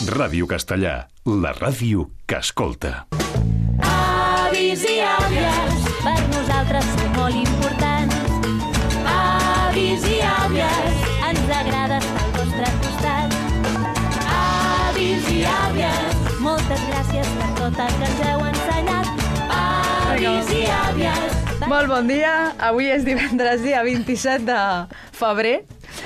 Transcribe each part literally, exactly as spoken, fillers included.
Ràdio Castellà, la ràdio que escolta. Avis i àvies, per nosaltres són molt importants. Avis i àvies, ens agrada estar al vostre costat. Avis i àvies, moltes gràcies per tot el que ens heu ensenyat. Avis i àvies. Molt bon dia, avui és divendres, dia vint-i-set de febrer,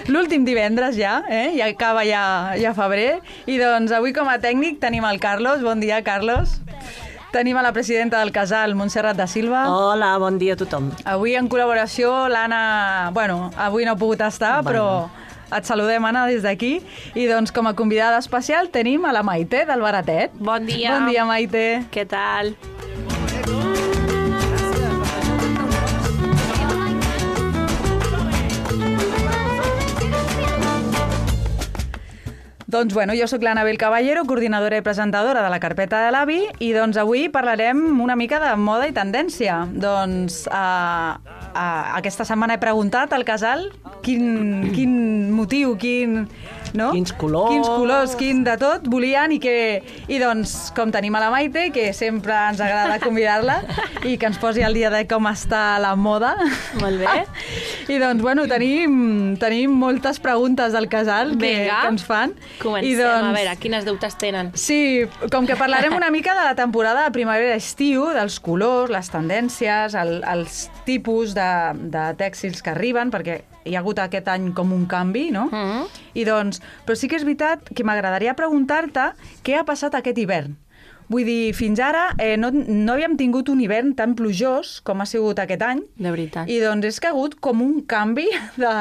l'últim divendres ja, eh? Ja acaba ja, ja febrer, i doncs avui com a tècnic tenim el Carlos. Bon dia, Carlos. Tenim a la presidenta del Casal, Montserrat da Silva. Hola, bon dia a tothom. Avui en col·laboració l'Anna, bueno, avui no ha pogut estar, bueno. Però et saludem, Anna, des d'aquí. I doncs com a convidada especial tenim a la Maite del Baratet. Bon dia. Bon dia, Maite. Què tal? Doncs bueno, jo sóc l'Anabel Caballero, coordinadora i presentadora de la Carpeta de l'Avi, i doncs avui parlarem una mica de moda i tendència. Doncs uh, uh, aquesta setmana he preguntat al Casal quin, quin motiu, quin... No? Quins colors. Quins colors, quin de tot volien i que... I doncs, com tenim a la Maite, que sempre ens agrada convidar-la i que ens posi al dia de com està la moda. Molt bé. I doncs, bueno, tenim, tenim moltes preguntes del Casal que, Vinga. que ens fan. Comencem, I doncs, a veure, quines dubtes tenen? Sí, com que parlarem una mica de la temporada de primavera-estiu, dels colors, les tendències, el, els tipus de, de tèxtils que arriben, perquè hi ha hagut aquest any com un canvi, no? Mm-hmm. I doncs, però sí que és veritat que m'agradaria preguntar-te què ha passat aquest hivern. Vull dir, fins ara eh, no, no havíem tingut un hivern tan plujós com ha sigut aquest any. De veritat. I doncs és que ha hagut com un canvi de,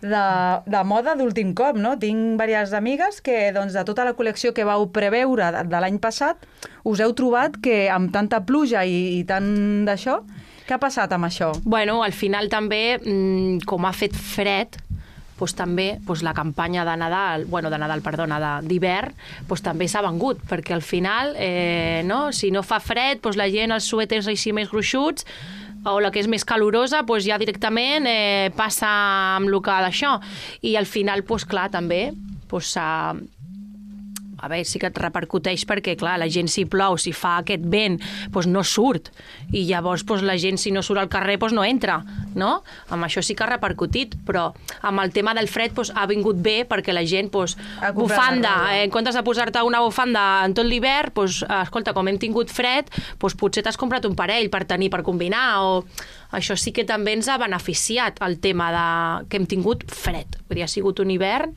de, de moda d'últim cop, no? Tinc diverses amigues que doncs, de tota la col·lecció que vau preveure de, de l'any passat us heu trobat que amb tanta pluja i, i tant d'això, què ha passat amb això? Bueno, al final també, com ha fet fred, doncs també doncs la campanya de Nadal, bueno, de Nadal, perdona, d'hivern, doncs també s'ha vengut, perquè al final, eh, no? Si no fa fred, doncs la gent, els suèters així més gruixuts, o la que és més calorosa, doncs ja directament eh, passa amb el que d'això. I al final, doncs clar, també, doncs s'ha... A veure, sí que et repercuteix perquè, clar, la gent si plou, si fa aquest vent, doncs no surt. I llavors doncs, la gent, si no surt al carrer, doncs no entra, no? Amb això sí que ha repercutit, però amb el tema del fred doncs, ha vingut bé perquè la gent, doncs, bufanda, eh, en comptes de posar-te una bufanda en tot l'hivern, doncs, escolta, com hem tingut fred, doncs potser t'has comprat un parell per tenir, per combinar, o... Això sí que també ens ha beneficiat, el tema de... que hem tingut fred. Vull dir, ha sigut un hivern...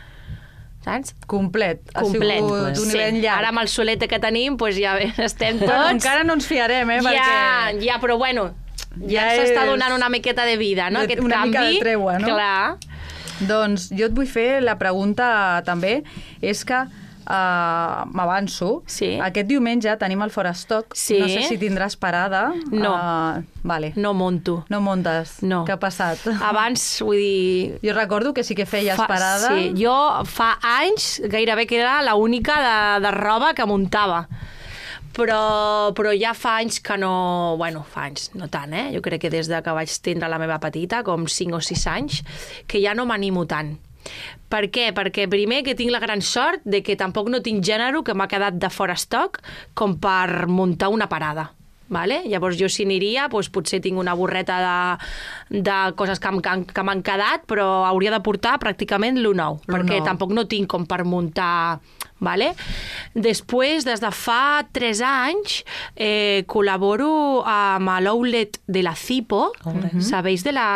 Saps? Complet. Ha Complet. sigut un hivern llarg. Ara amb el solete que tenim, doncs ja estem tots... Bueno, encara no ens fiarem, eh? Ja, Perquè... ja, però bueno, ja, Ja s'està és- donant una miqueta de vida, no? De- Aquest una canvi. mica de tregua, no? Clar. Doncs jo et vull fer la pregunta també, és que uh, m'avanço. Sí. Aquest diumenge tenim el Fora Stock. Sí. No sé si tindràs parada. No. Uh, vale. No monto. No montes. No. Què ha passat? Abans, vull dir... Jo recordo que sí que feies Fa, parada. sí, jo fa anys gairebé que era l'única de, de roba que muntava. Però, però ja fa anys que no... Bueno, fa anys, no tant, eh? Jo crec que des de que vaig tindre la meva petita, com cinc o sis anys, que ja no m'animo tant. Per què? Perquè primer que tinc la gran sort de que tampoc no tinc gènere que m'ha quedat de fora estoc com per muntar una parada. Vale? Llavors jo si aniria, doncs potser tinc una borreta de, de coses que, que m'han quedat, però hauria de portar pràcticament l'u nou, perquè nou. tampoc no tinc com per muntar... Vale? Després, des de fa tres anys, eh, col·laboro amb l'outlet de la Cipo, uh-huh. sabeu de la,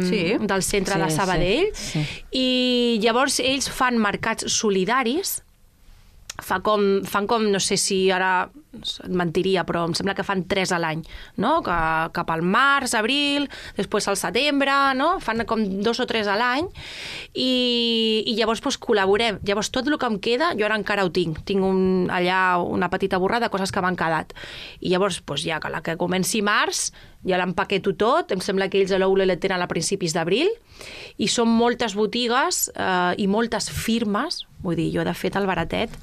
Sí. del centre Sí, de Sabadell, sí, sí. i llavors ells fan mercats solidaris. Fa com, fan com, no sé si ara et mentiria, però em sembla que fan tres a l'any, no? Que, cap al març, abril, després al setembre, no? Fan com dos o tres a l'any i, i llavors doncs, col·laborem. Llavors tot el que em queda, jo ara encara ho tinc. Tinc un, allà una petita borrada de coses que m'han quedat. I llavors, doncs, ja que la que comenci març, ja l'empaqueto tot, em sembla que ells a l'Oule tenen a principis d'abril, i són moltes botigues eh, i moltes firmes, vull dir, jo de fet al Baratet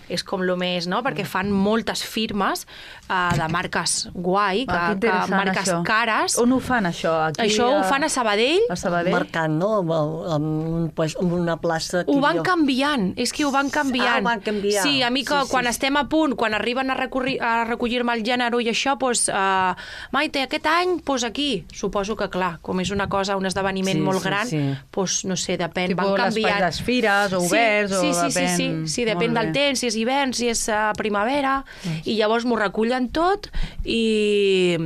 és com lo més, no? Perquè fan moltes firmes uh, de marques guai, que, Ah, que que interessant, marques això. cares. On ho fan, això? Aquí, Això ho fan a Sabadell. A Sabadell? Marcant, no? Amb, amb, un, pues, amb una plaça... Ho van jo... canviant, és que ho van canviant. Ah, ho van canviar. Sí, a mi que Sí, sí, quan sí. estem a punt, quan arriben a, recorri, a recollir-me el gènere i això, doncs, uh, Maite, aquest any, doncs aquí. Suposo que, clar, com és una cosa, un esdeveniment Sí, molt sí, gran, sí. doncs, no sé, depèn, Tipo van l'espai canviant. dels fires, o oberts, sí, o sí, sí, depèn... sí, sí, sí, depèn Molt del bé. temps, si és hivern, si és uh, primavera, i llavors m'ho recullen tot i...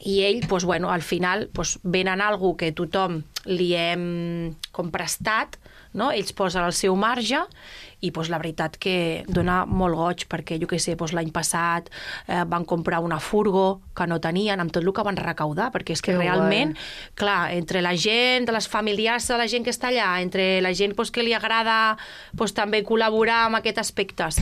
I ell, doncs, bueno, al final, doncs, venen algú que tothom li hem com prestat, no? Ells posen el seu marge i doncs, la veritat que dona molt goig perquè, jo què sé, doncs, l'any passat eh, van comprar una furgo que no tenien, amb tot el que van recaudar, perquè és que, Que realment, guai. clar, entre la gent, de les familiars de la gent que està allà, entre la gent doncs, que li agrada doncs, també col·laborar amb aquests aspectes,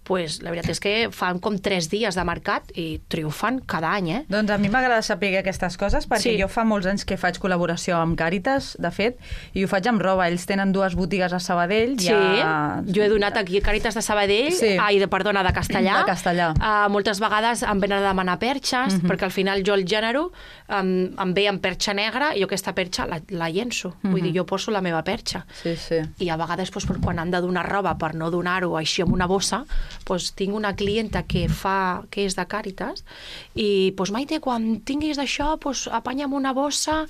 doncs, la veritat és que fan com tres dies de mercat i triomfen cada any, eh? Doncs a mi m'agrada saber aquestes coses perquè Sí. jo fa molts anys que faig col·laboració amb Càritas, de fet, i ho faig amb roba. Ells tenen dues botigues a Sabadell. Sí, ja... jo he donat aquí a Càritas de Sabadell, Sí. ai, de, perdona, de Castellà. De Castellà. Uh, moltes vegades em venen a demanar perxes, Mhm. perquè al final jo el gènere um, em ve amb perxa negra i jo aquesta perxa la, la llenço. Vull dir, jo poso la meva perxa. Sí, sí. I a vegades, doncs, per quan han de donar roba per no donar-ho així amb una bossa, doncs, tinc una clienta que fa que és de Càritas i, doncs, Maite, quan tinguis d'això, doncs, apanya'm una bossa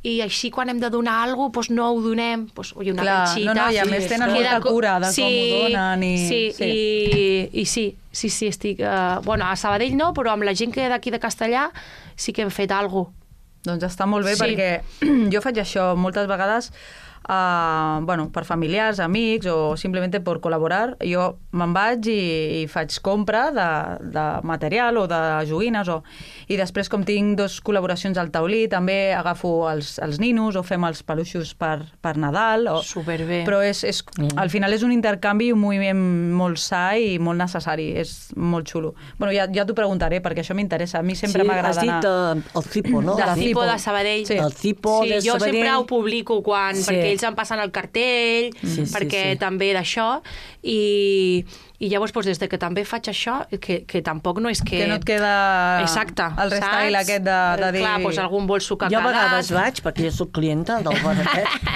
i així quan hem de donar alguna cosa, doncs no ho donem, doncs, oi, una Clar, petxita. no, no, i a Sí, més tenen Queda molta co- cura de sí, com ho donen. I... Sí, sí. I, i sí, sí, sí, estic... Uh, bueno, a Sabadell no, però amb la gent que d'aquí de Castellà sí que hem fet alguna cosa. Doncs està molt bé, Sí. perquè jo faig això moltes vegades uh, bueno, per familiars, amics o simplement per col·laborar. Jo me'n vaig i, i faig compra de, de material o de joguines o... i després, com tinc dos col·laboracions al taulí, també agafo els, els ninos o fem els peluixos per, per Nadal. O... Superbé. Però és, és, al final és un intercanvi i un moviment molt sa i molt necessari. És molt xulo. Bueno, ja, ja t'ho preguntaré, perquè això m'interessa. A mi sempre Sí, m'agrada has dit anar... uh, el Cipo, no? De la Cipo Cipo. de Sabadell. Sí. El Cipo sí, de jo Sabadell. sempre ho publico quan, Sí. perquè ells em passen el cartell, Sí, sí, perquè sí. també d'això, i, i llavors, doncs, des de que també faig això, que, que tampoc no és que... Que no et queda Exacte, el restyle saps? aquest de, de dir... Clar, doncs algun bolso que ha Jo a quedat. vegades vaig, perquè jo soc clienta del bar aquest.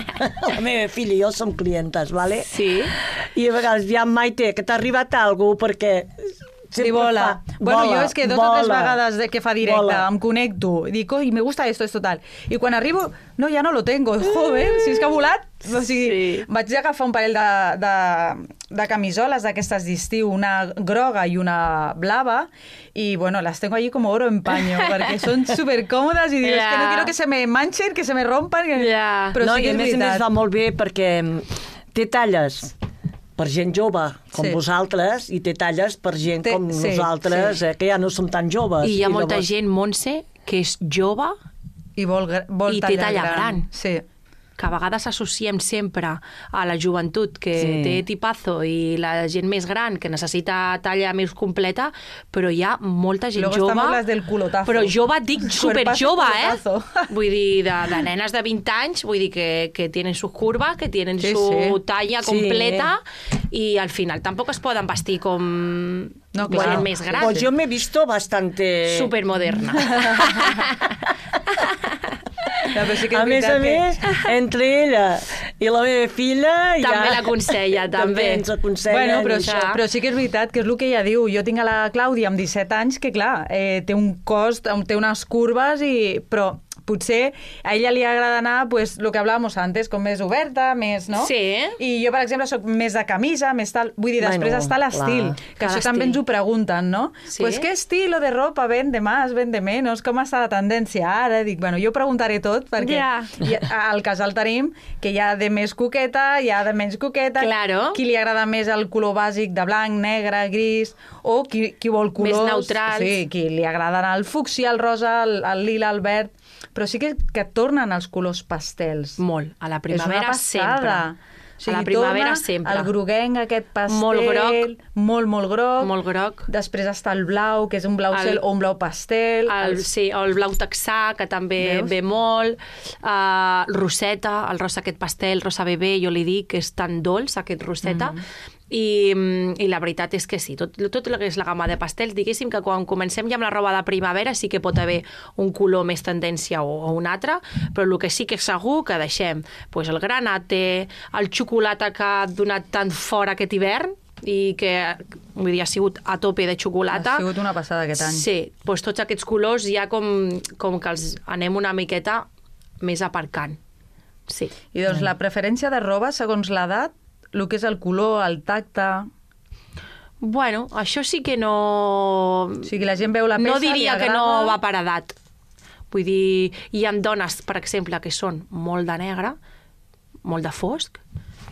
La meva filla i jo som clientes, vale? Sí. I a vegades, ja, Maite, que t'ha arribat algú, perquè... Sí, vola. Fa, Bueno, vola, jo és que dos o tres vola. vegades de que fa directe Vola. em connecto i dic, oi, me gusta esto, esto tal. I quan arribo, no, ja no lo tengo. Joder, si és que ha volat. O sigui, Sí. vaig agafar un parell de, de, de camisoles d'aquestes d'estiu, una groga i una blava, i bueno, las tengo allí como oro en paño, perquè són supercòmodes i dius, Ja. que no quiero que se me manchen, que se me rompan. Que... Ja. Però no, sí que i a és més a més veritat. va molt bé perquè té talles per gent jove com Sí. vosaltres i té talles per gent Té- com sí, nosaltres, sí. eh, que ja no som tan joves. I hi ha molta llavors- gent, Montse, que és jove, I vol, gra- vol I té talla, talla gran. Sí. que a vegades associem sempre a la joventut que Sí. té tipazo i la gent més gran que necessita talla més completa, però hi ha molta gent Luego jove. estamos las del culotazo. Però jove, dic super Cuerpazo, jove, eh? culotazo. Vull dir, de, de nenes de vint anys, vull dir que, que tienen sus curvas, que tienen Sí, su sí. talla Sí. completa i al final tampoc es poden vestir com No, gent clar. més gran. Pues yo me he visto bastante... Supermoderna. Ja, però sí que és A més a veritat que- més, entre ella i la meva filla... També ja... l'aconsella, també. ens aconsella. Bueno, però, això. això, però sí que és veritat que és el que ella diu. Jo tinc a la Clàudia amb disset anys que, clar, eh, té un cost, té unes curves, i però potser a ella li agrada anar, pues, el que hablàvamos antes, com més oberta, més, no? Sí. I jo, per exemple, sóc més de camisa, més tal... Vull dir, després Bueno, està l'estil, clar. que Clar, això també l'estil. ens ho pregunten, no? Sí. Pues, ¿qué estilo de ropa vende más, vende menos? Com està la tendència ara? Dic, bueno, jo preguntaré tot, perquè Ja. hi ha- al casal tenim que hi ha de més coqueta, hi ha de menys coqueta, Claro. qui li agrada més el color bàsic de blanc, negre, gris, o qui, qui vol colors... Més neutrals. Sí, qui li agrada anar el fúcsia, el rosa, el, el lila, el verd... Però sí que, que tornen els colors pastels. Molt. A la És una primavera passada. sempre. A la primavera torna sempre. El groguenc, aquest pastel... Molt groc. Molt, molt groc. Molt groc. Després està el blau, que és un blau El- cel o un blau pastel. El, sí, o el blau texà, que també Veus? ve molt. Uh, roseta, el rosa aquest pastel, rosa bebè, jo li dic que és tan dolç, aquest roseta. Mm -hmm. I, i la veritat és que sí, tot, tot el que és la gamma de pastels, diguéssim que quan comencem ja amb la roba de primavera sí que pot haver un color més tendència o, o un altre, però el que sí que és segur que deixem pues, el granate, el xocolata que ha donat tant fora aquest hivern, i que vull dir, ha sigut a tope de xocolata. Ha sigut una passada aquest any. Sí, doncs tots aquests colors ja com, com que els anem una miqueta més aparcant. Sí. I doncs la preferència de roba segons l'edat, el que és el color, el tacte... Bueno, això sí que no... O sigui, la gent veu la peça, no diria li agrada... que no va per edat. Vull dir, hi ha dones, per exemple, que són molt de negre, molt de fosc,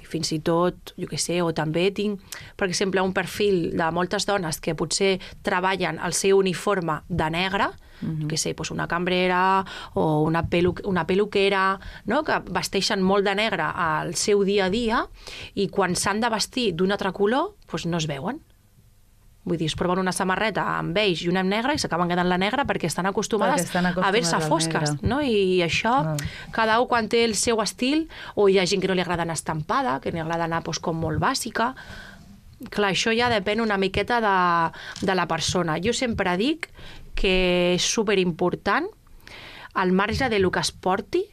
i fins i tot, jo què sé, o també tinc, per exemple, un perfil de moltes dones que potser treballen el seu uniforme de negre, mm-hmm. que sé, doncs una cambrera o una, pelu una peluquera, no? Que vesteixen molt de negre al seu dia a dia i quan s'han de vestir d'un altre color, doncs no es veuen. Vull dir, es proven una samarreta amb beige i una amb negre i s'acaben quedant la negra perquè estan acostumades, perquè estan acostumades a ver-se fosques, no? I això, ah. cada un quan té el seu estil, o hi ha gent que no li agrada anar estampada, que li agrada anar doncs, com molt bàsica. Clar, això ja depèn una miqueta de, de la persona. Jo sempre dic que és superimportant, al marge de lo que es porti,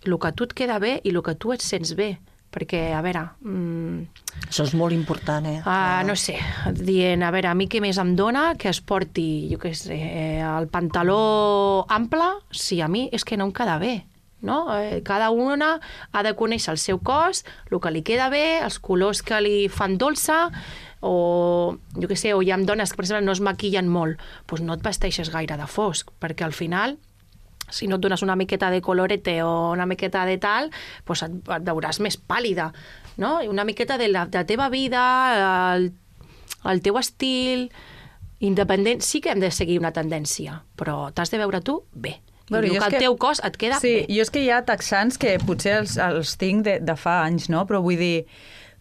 el que a tu et queda bé i el que tu et sents bé. Perquè, a veure... Mmm, això és molt important, eh? Uh, no sé, dient, a veure, a mi què més em dona que es porti, jo què sé, el pantaló ample, sí, a mi és que no em queda bé. No? Eh, cada una ha de conèixer el seu cos, el que li queda bé, els colors que li fan dolça, o jo què sé, o hi ha dones que, per exemple, no es maquillen molt, doncs no et vesteixes gaire de fosc, perquè al final, si no et dones una miqueta de colorete o una miqueta de tal, doncs et, et veuràs més pàl·lida, no? I una miqueta de la, de la teva vida, el, el teu estil, independent, sí que hem de seguir una tendència, però t'has de veure tu bé. Bueno, I el que el teu cos et queda sí, bé. Jo és que hi ha texans que potser els, els tinc de, de fa anys, no? Però vull dir,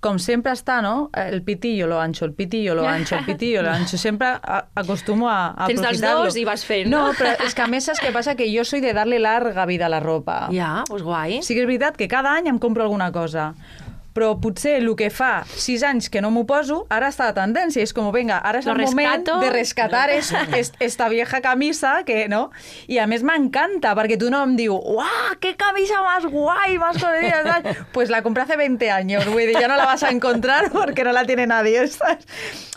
com sempre està, no? El pitillo lo ancho, el pitillo lo ancho, el pitillo lo ancho. Sempre acostumo a, a Tens aprofitar-lo. dels dos i vas fent. No, però és que a més saps què passa? Que jo soy de darle larga vida a la ropa. Ja, doncs guai. Sí que és veritat que cada any em compro alguna cosa. Però potser el que fa sis anys que no m'ho poso, ara està de tendència. És com, vinga, ara és Lo el moment rescato. de rescatar es, es, esta vieja camisa, que, no? I a més m'encanta, perquè tu no em diu, ¡guau, qué camisa más guay, más colorida! Pues la compré hace veinte años, vull dir, ja no la vas a encontrar perquè no la tiene nadie, saps?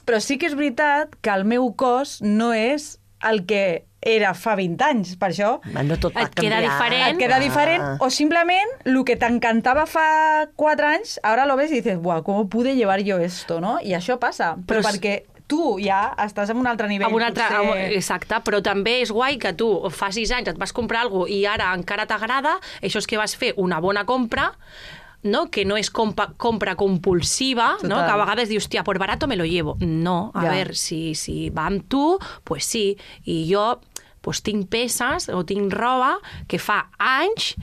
Però sí que és veritat que el meu cos no és el que era fa vint anys, per això no tot va et queda canviar. diferent. et queda diferent, Ah. o simplement el que t'encantava fa quatre anys, ara lo ves i dices, buah, ¿cómo pude llevar yo esto, no? I això passa, però, Però és- perquè tu ja estàs en un altre nivell. Amb un altre, potser... amb, exacte, però també és guai que tu fa sis anys et vas comprar alguna cosa i ara encara t'agrada, això és que vas fer una bona compra, no? Que no és compa, compra compulsiva, no? Que a vegades dius, hòstia, por barato me lo llevo. No, a Ja. veure, si, si va amb tu, pues sí. I jo pues, tinc peces o tinc roba que fa anys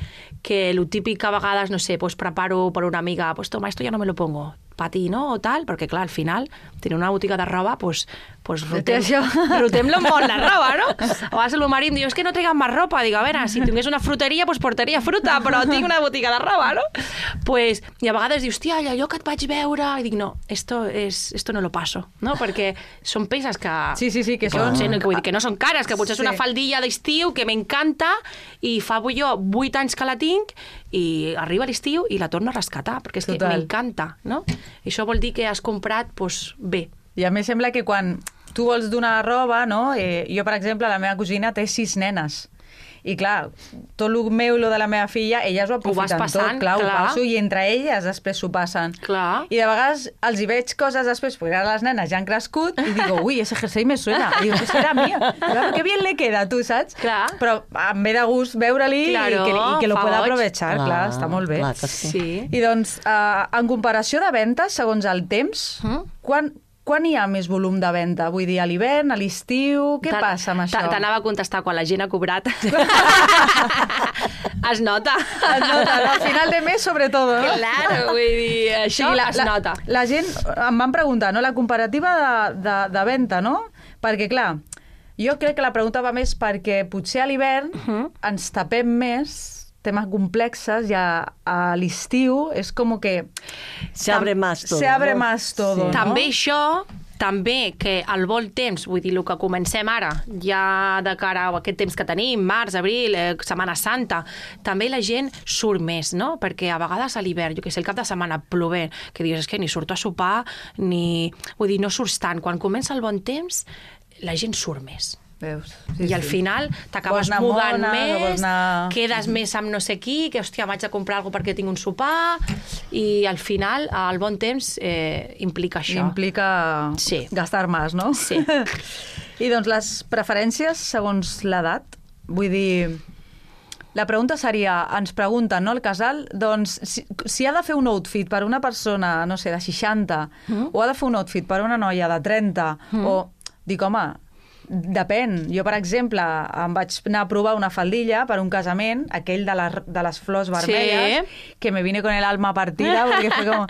que el típic que a vegades, no sé, pues preparo per una amiga, pues toma, esto ya no me lo pongo, pa ti, no? O tal, perquè clar, al final, tenir una botiga de roba, pues, pues rotem, rotem-lo molt la roba, no? A vegades el meu marit em diu, és que no triguem més ropa. Dic, a veure, si tingués una fruteria, pues portaria fruta, però tinc una botiga de roba, no? Pues, i a vegades dius, hòstia, allò que et vaig veure... I dic, no, esto, es, esto no lo paso, no? Perquè són peces que... Sí, sí, sí, que que, són... potser, no, que, vull dir, que no són cares, que potser és una Sí. faldilla d'estiu que m'encanta i fa jo vuit anys que la tinc i arriba l'estiu i la torno a rescatar, perquè és Total. que m'encanta, no? I això vol dir que has comprat doncs, bé. I a més sembla que quan tu vols donar roba, no? Eh, jo, per exemple, la meva cosina té sis nenes. I clar, tot el meu i el de la meva filla, elles ho aprofiten passant, tot, clar, clar. ho passo, i entre elles després s'ho passen. Clar. I de vegades els hi veig coses després, perquè ara les nenes ja han crescut, i digo, ui, ese jersei me suena. I digo, ese era mío. Clar, que bien le queda, tu saps? Clar. Però em ve de gust veure-li Claro, i, que, i que lo fa pueda goig. aprovechar, clar, clar, està molt bé. Clar que sí. Sí. I doncs, eh, en comparació de ventes, segons el temps, Mm. quan, quan hi ha més volum de venda? Vull dir, a l'hivern, a l'estiu, què Te- passa amb això? te- T'anava a contestar quan la gent ha cobrat. Es nota. Es nota, no? Al final de mes, sobretot, no? Claro, vull dir, això la, es la, nota. La gent em van preguntar, no?, la comparativa de, de, de venda, no? Perquè, clar, jo crec que la pregunta va més perquè potser a l'hivern Mhm. ens tapem més temes complexes, ja a l'estiu és com que... Se abre más todo. Se abre no? más todo, Sí. no? També això, també que al bon temps, vull dir, el que comencem ara, ja de cara a aquest temps que tenim, març, abril, eh, Setmana Santa, també la gent surt més, no? Perquè a vegades a l'hivern, jo que sé, el cap de setmana plovent, que dius, és que ni surto a sopar, ni... Vull dir, no surts tant. Quan comença el bon temps, la gent surt més. Veus? Sí, I al sí. final t'acabes Vols anar mudant mona, més, vols anar... quedes més amb no sé qui, que hòstia, vaig a comprar alguna perquè tinc un sopar, i al final el bon temps eh, implica això. Implica Sí. gastar més, no? Sí. I doncs les preferències segons l'edat, vull dir... La pregunta seria, ens pregunten, no, el casal, doncs, si, si ha de fer un outfit per una persona, no sé, de seixanta, mm. o ha de fer un outfit per una noia de trenta, mm. o... Dic, home, depèn. Jo, per exemple, em vaig anar a provar una faldilla per un casament, aquell de, la, de les flors vermelles, sí. que me vine con el alma partida, perquè fue com...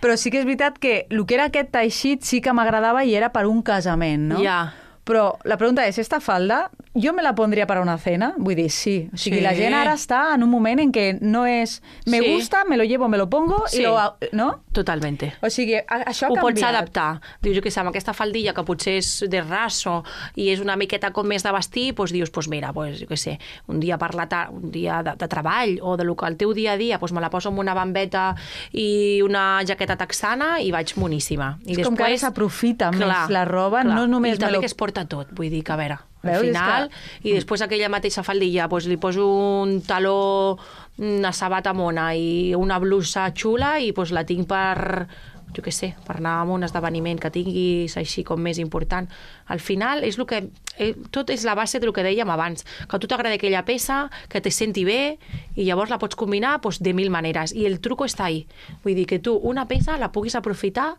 Però sí que és veritat que el que era aquest teixit sí que m'agradava i era per un casament, no? Ja. Però la pregunta és, esta falda, jo me la pondria per a una cena? Vull dir, sí. O sigui, Sí. la gent ara està en un moment en què no és me Sí. gusta, me lo llevo, me lo pongo, Sí. i lo... No? Totalmente. O sigui, a, això ha Ho pots canviat. adaptar. Dius, jo què sé, amb aquesta faldilla que potser és de raso i és una miqueta com més de vestir, doncs dius, doncs mira, doncs, jo què sé, un dia per la tarda, un dia de, de treball o de lo que el teu dia a dia, doncs me la poso amb una bambeta i una jaqueta texana i vaig moníssima. I És com que ara s'aprofita més la roba, no només I també me lo- que es porta tot, vull dir que, a veure, al Veus? És final, que- i després aquella mateixa faldilla, doncs li poso un taló, una sabata mona i una blusa xula i doncs la tinc per, jo què sé, per anar a un esdeveniment que tinguis així com més important. Al final, és el que, eh, tot és la base del que dèiem abans, que a tu t'agrada aquella peça, que te senti bé, i llavors la pots combinar doncs, de mil maneres. I el truco està ahí. Vull dir que tu una peça la puguis aprofitar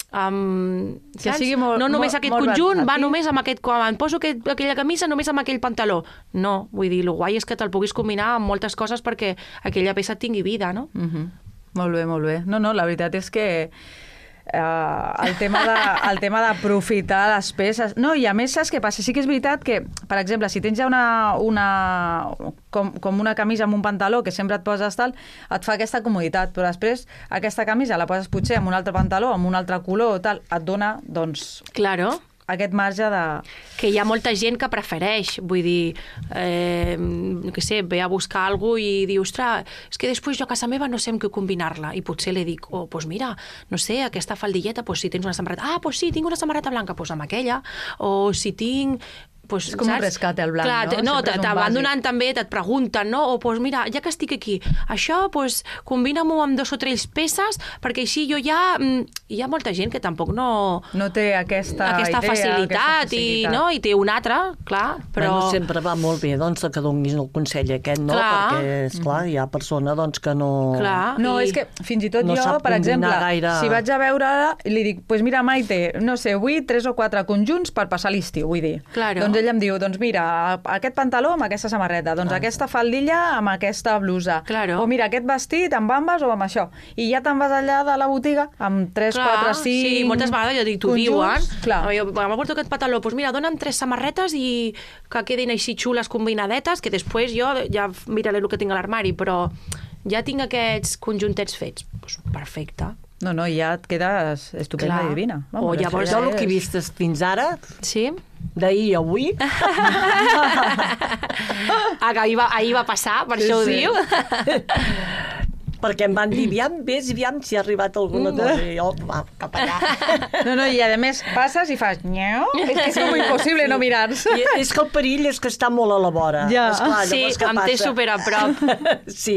Um, Que sigui molt- no només molt- aquest molt conjunt, va versátil. només amb aquest, quan em poso aquest, aquella camisa, només amb aquell pantaló. No, vull dir, el guai és que te'l puguis combinar amb moltes coses perquè aquella peça tingui vida, no? Mm -hmm. Molt bé, molt bé. No, no, la veritat és que Uh, el tema de, el tema d'aprofitar les peces... No, i a més, saps què passa? Sí que és veritat que, per exemple, si tens ja una, una com, com una camisa amb un pantaló que sempre et poses tal, et fa aquesta comoditat, però després aquesta camisa la poses potser amb un altre pantaló, amb un altre color o tal, et dona, doncs, Claro. aquest marge de... Que hi ha molta gent que prefereix, vull dir, eh, no què sé, ve a buscar alguna cosa i diu, ostres, és que després jo a casa meva no sé amb què combinar-la, i potser li dic, oh, doncs mira, no sé, aquesta faldilleta, doncs si tens una samarreta, ah, doncs sí, tinc una samarreta blanca, doncs amb aquella, o si tinc... Pues, És com un rescate al blanc, Clar, no? no, Sempre és un te van bàsic. donant també, et pregunten, no? O, pues, mira, ja que estic aquí, això, pues, combina-m'ho amb dos o tres peces, perquè així jo ja... Hi ha molta gent que tampoc no... No té aquesta, aquesta idea, facilitat, aquesta facilitat. I, no? I té una altra, clar, però... Bueno, sempre va molt bé doncs, que donis el consell aquest, no? Clar. Perquè, esclar, hi ha persona doncs, que no... Clar, No, i... és que fins i tot no jo, sap per exemple, combinar gaire- si vaig a veure li dic, pues mira, Maite, no sé, vull tres o quatre conjunts per passar l'estiu, vull dir. Claro. Doncs ell em diu, doncs mira, aquest pantaló amb aquesta samarreta, doncs aquesta faldilla amb aquesta blusa. Claro. O mira, aquest vestit amb bambes o amb això. I ja te'n vas allà de la botiga amb tres, Clar, quatre, cinc sí, moltes vegades ja dic, t'ho diuen. Clar. Jo m'ha portat aquest pantaló, doncs mira, dona'm tres samarretes i que quedin així xules combinadetes, que després jo ja miraré el que tinc a l'armari, però ja tinc aquests conjuntets fets. Doncs perfecte. No, no, ja et quedes estupenda Clar. i divina. O això llavors ja Jo el que he és- vist fins ara, Sí? d'ahir a avui, Ah, que ahir va, ahir va passar, per Sí, això ho sí. diu. perquè em van dir, aviam, vés, aviam si ha arribat alguna cosa. I jo, va, cap allà. No, no, i a més passes i fas nyeu. És que és com impossible no mirar-se. I és que el perill és que està molt a la vora. Ja. Esclar, Sí, llavors, què em té passa? super a prop. Sí,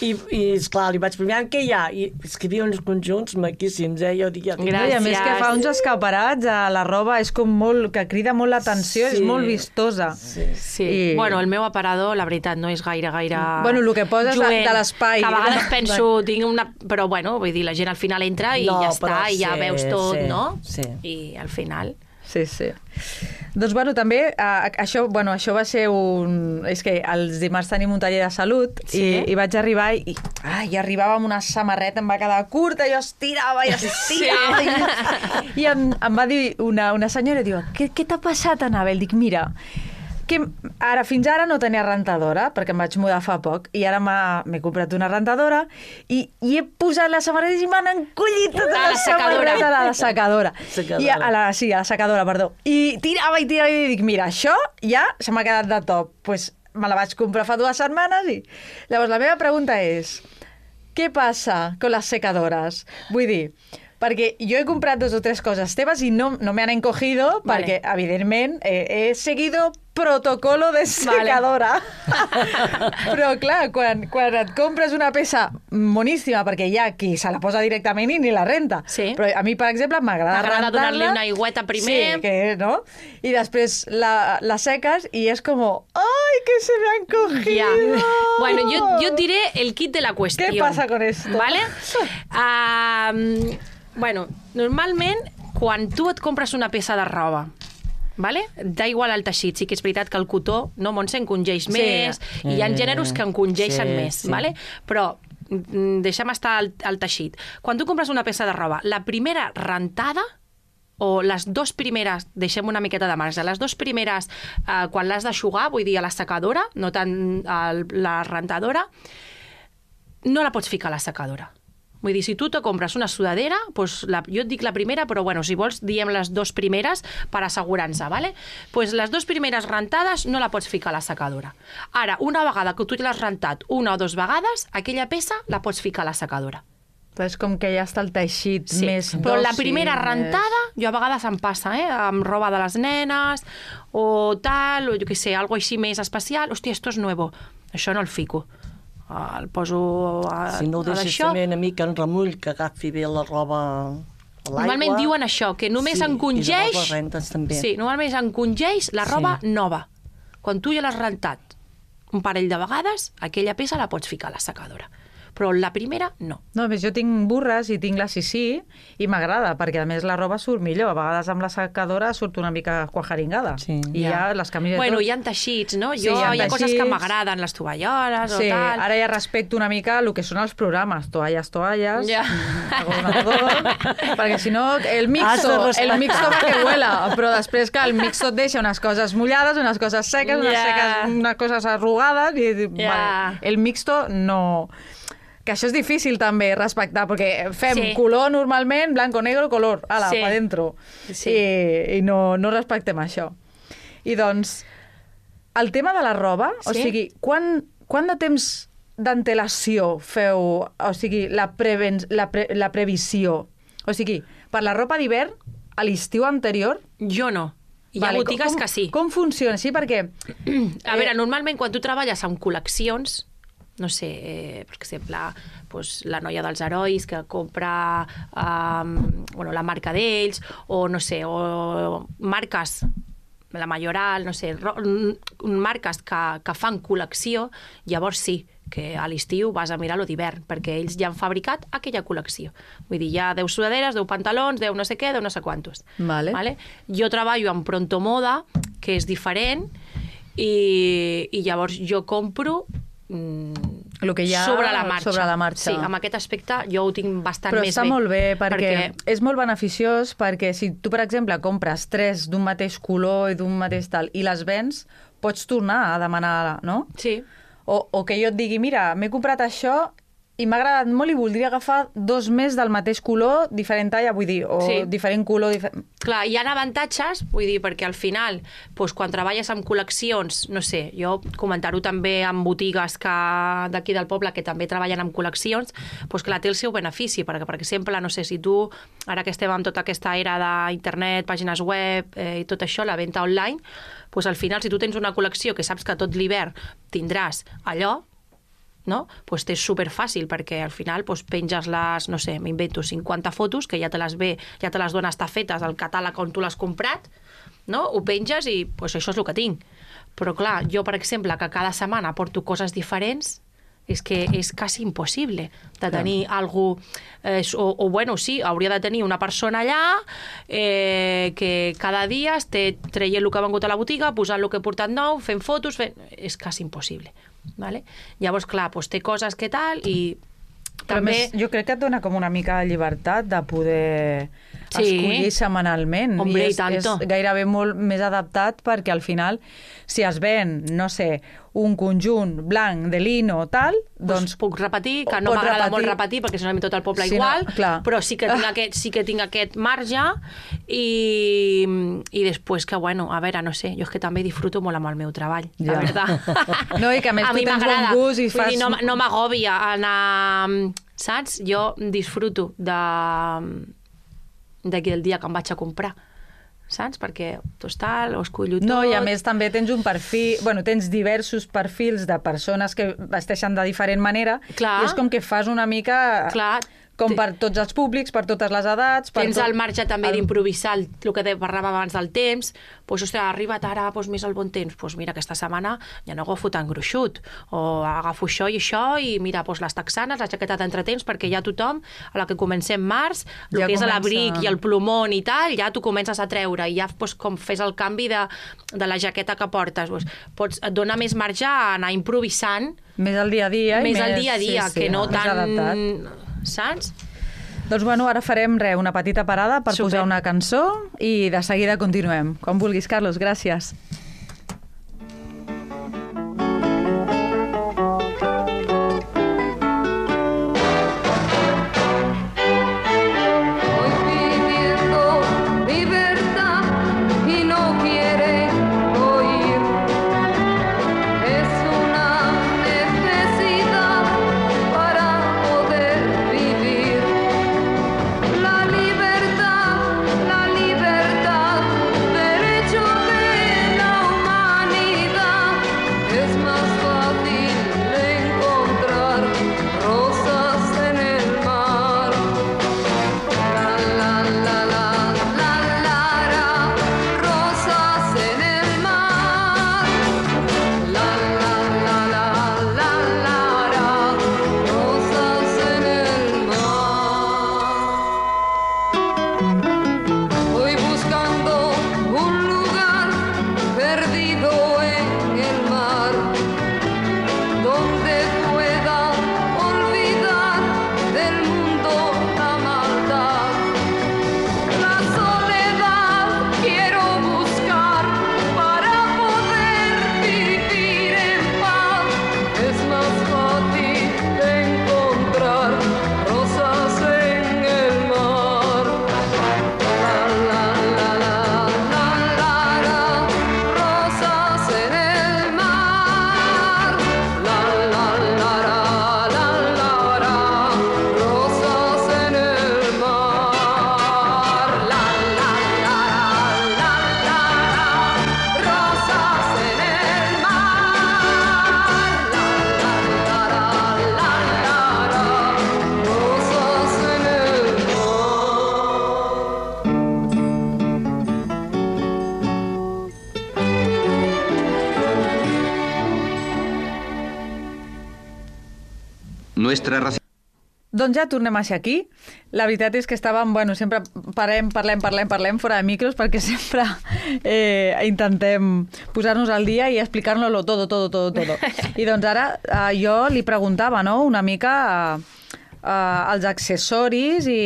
i, i esclar, li vaig preguntar, què hi ha? I és que hi havia uns conjunts maquíssims, eh? Jo dic, ja, Gràcies. I a més que fa uns escaparats a la roba, és com molt, que crida molt l'atenció, Sí. és molt vistosa. Sí. Sí. I- Bueno, el meu aparador, la veritat, no és gaire, gaire... Bueno, el que poses de- lluent. de l'espai. Que a vegades penso, tinc una... Però, bueno, vull dir, la gent al final entra i No, ja està, però i ja sí, veus tot, sí, no? sí. I al final... Sí, sí. Doncs, bueno, també, eh, això, bueno, això va ser un... És que els dimarts tenim un taller de salut Sí. i, i vaig arribar i, ai, i arribava amb una samarreta, em va quedar curta, jo estirava i estirava. Sí. I, i em, em va dir una, una senyora, diu, què, què t'ha passat, Anabel? Dic, mira, que ara, fins ara no tenia rentadora, perquè em vaig mudar fa poc, i ara m'he comprat una rentadora, i, i he posat les samarretes i m'han encollit tota A la, la secadora. samarreta a la secadora. Secadora. I a la, sí, a la secadora, perdó. I tirava i tirava i dic, mira, això ja se m'ha quedat de top. Doncs pues, me la vaig comprar fa dues setmanes i... Llavors, la meva pregunta és, què passa con les secadores? Vull dir, perquè jo he comprat dos o tres coses teves i no, no me han encogido Vale. perquè, evidentment, eh, he seguido protocolo de secadora. Vale. Però, clar, quan, quan et compres una peça moníssima, perquè hi ha qui se la posa directament i ni la renta. Sí. Però a mi, per exemple, m'agrada T'agrada rentar-la. donar-li una aigüeta primer. Sí, que, no? I després la, la seques i és com, ¡ay, que se me han cogido! Ya. Bueno, yo, yo diré el kit de la cuestión. ¿Qué pasa con esto? ¿Vale? Um, bueno, normalment, quan tu et compres una peça de roba, vale? Da igual el teixit, sí que és veritat que el cotó, no, Montse, encongeix Sí. més, i hi ha gèneres que encongeixen Sí, més, sí. vale? Però mm, deixem estar el, el teixit. Quan tu compres una peça de roba, la primera rentada, o les dues primeres, deixem una miqueta de marge, les dues primeres, eh, quan l'has d'aixugar, vull dir, a la secadora, no tant a la rentadora, no la pots ficar a la secadora. Vull dir, si tu te compres una sudadera, doncs la, jo et dic la primera, però bueno, si vols diem les dues primeres per assegurar-nos, ¿vale? Pues les dues primeres rentades no la pots ficar a la secadora. Ara, una vegada que tu l'has rentat una o dues vegades, aquella peça la pots ficar a la secadora. Però és com que ja està el teixit Sí, més però la dòcil, primera més- rentada, jo a vegades em passa, eh? Amb roba de les nenes, o tal, o jo què sé, algo així més especial. Hòstia, esto és nuevo. Això no el fico. Ah, el poso a, Si no ho a deixes d'això. també una mica en remull, que agafi bé la roba a l'aigua. Normalment diuen això, que només Sí, encongeix... i llavors les rentes també. Sí, normalment encongeix la roba Sí. nova. Quan tu ja l'has rentat un parell de vegades, aquella peça la pots ficar a la secadora. Però la primera, no. No, a més, jo tinc burres i tinc la Sisí i m'agrada, perquè a més la roba surt millor. A vegades amb la secadora surt una mica quajaringada. Sí. I ja, les camisetes... Bueno, hi ha teixits, no? Sí, Jo, hi ha hi ha coses que teixits. m'agraden, les tovalloles Sí, o tal. ara ja respecto una mica el que són els programes, toalles, toalles, Ja. gobernador, perquè si no, el Has mixto, de respectar. el mixto va que huela, però després que el mixto et deixa unes coses mullades, unes coses seques, unes, Ja. seques, unes coses arrugades, i Ja. vale, el mixto no... Que això és difícil també respectar, perquè fem Sí. color normalment, blanco, negro, color, ala, Sí. pa dentro. Sí. I, i no, no respectem això. I doncs, el tema de la roba, o Sí. sigui, quan, quant de temps d'antelació feu, o sigui, la, preven, la, pre, la previsió? O sigui, per la ropa d'hivern, a l'estiu anterior... Jo no. Hi ha botigues com, que sí. Com funciona? Sí, perquè... A veure, normalment quan tu treballes amb col·leccions, no sé, eh, per exemple, pues, la noia dels herois que compra um, bueno, la marca d'ells, o no sé, o marques, la Mayoral, no sé, ro- marques que, que fan col·lecció, llavors sí, que a l'estiu vas a mirar lo d'hivern, perquè ells ja han fabricat aquella col·lecció. Vull dir, hi ha deu sudaderes, deu pantalons, deu no sé què, deu no sé quantos. Vale. Vale? Jo treballo amb Pronto Moda, que és diferent, i, i llavors jo compro mm, Lo que hi ha sobre la marxa. sobre la marxa. Sí, amb aquest aspecte jo ho tinc bastant Però més està bé. molt bé, perquè, perquè és molt beneficiós, perquè si tu, per exemple, compres tres d'un mateix color i d'un mateix tal, i les vens, pots tornar a demanar, no? Sí. O, o que jo et digui, mira, m'he comprat això i m'ha agradat molt i voldria agafar dos més del mateix color, diferent talla, vull dir, o Sí. diferent color... Difer... Clar, hi ha avantatges, vull dir, perquè al final, doncs, quan treballes amb col·leccions, no sé, jo comentar-ho també amb botigues que d'aquí del poble que també treballen amb col·leccions, doncs clar, té el seu benefici, perquè, per exemple, no sé, si tu, ara que estem amb tota aquesta era d'internet, pàgines web eh, i tot això, la venda online, doncs al final, si tu tens una col·lecció que saps que tot l'hivern tindràs allò, no? Pues és superfàcil, perquè al final pues, penges les, no sé, m'invento cinquanta fotos, que ja te les ve, ja te les dona estar fetes al catàleg on tu l'has comprat, no? Ho penges i pues, això és el que tinc. Però clar, jo, per exemple, que cada setmana porto coses diferents, és que és quasi impossible de tenir algú... Eh, o, o, bueno, sí, hauria de tenir una persona allà eh, que cada dia esté traient el que ha vengut a la botiga, posant el que he portat nou, fent fotos... Fent... És quasi impossible. Vale? Llavors, clar, doncs té coses que tal i Però també... més, jo crec que et dona com una mica de llibertat de poder Sí. escollir setmanalment. Hombre, I i és, tanto. és gairebé molt més adaptat perquè al final, si es ven, no sé, un conjunt blanc de lino o tal, doncs... Doncs puc repetir, que no Pots m'agrada repetir. molt repetir perquè si no tot el poble Sí, no, igual, clar. però sí que tinc, Ah. aquest, sí que tinc aquest marge i, i després que, bueno, a veure, no sé, jo és que també disfruto molt amb el meu treball, la Ja. veritat. No, i que a més tu mi tens bon m'agrada. gust i Vull fas- dir, no, no m'agòbia anar... Saps? Jo disfruto de d'aquí el dia que em vaig a comprar, saps? Perquè tostal, ho escollo tot... No, i a més també tens un perfil... Bueno, tens diversos perfils de persones que vesteixen de diferent manera. Clar. I és com que fas una mica... Clar. Com per tots els públics, per totes les edats... Per Tens tot... el marge també el- d'improvisar el, el que parlàvem abans del temps. Doncs, ostres, ha arribat ara doncs, més el bon temps. Doncs mira, aquesta setmana ja no agafo tan gruixut. O agafo això i això i mira, doncs, les texanes, la jaqueta d'entretemps, perquè ja tothom, a la que comencem març, el Ja que és comença- l'abric i el plomón i tal, ja t'ho comences a treure. I ja doncs, com fes el canvi de, de la jaqueta que portes. Doncs, pots, et dona més marge a anar improvisant Més al dia a dia. i més al dia a dia, sí, sí, que no més tan... adaptat. Saps? Doncs bueno, ara farem re, una petita parada per Super. posar una cançó i de seguida continuem. Com vulguis, Carlos, gràcies. Voy pidiendo libertad y no quiere oír. Es una necesidad para poder vivir. La libertad, la libertad, derecho de la humanidad. Es más fácil de encontrar rosas en el mar. La la la la la la la, rosas en el mar. La la la la la la la, rosas en el mar. Voy buscando un lugar perdido en el mar donde pueda olvidar del mundo la maldad. La soledad quiero buscar para poder vivir en paz. Es más fácil de encontrar rosas en el mar. La la la la la la la, rosas en el mar. La la la la la la la, rosas en el mar. La la la la la la la, rosas en el mar. La la la la la la la, rosas en el mar. Nuestra raza. Doncs ja tornem a ser aquí. La veritat és que estàvem, bueno, sempre parlem, parlem, parlem, parlem fora de micros perquè sempre eh, intentem posar-nos al dia i explicar-nos-lo todo, todo, todo, todo. I doncs ara eh, jo li preguntava, no?, una mica eh, eh, els accessoris i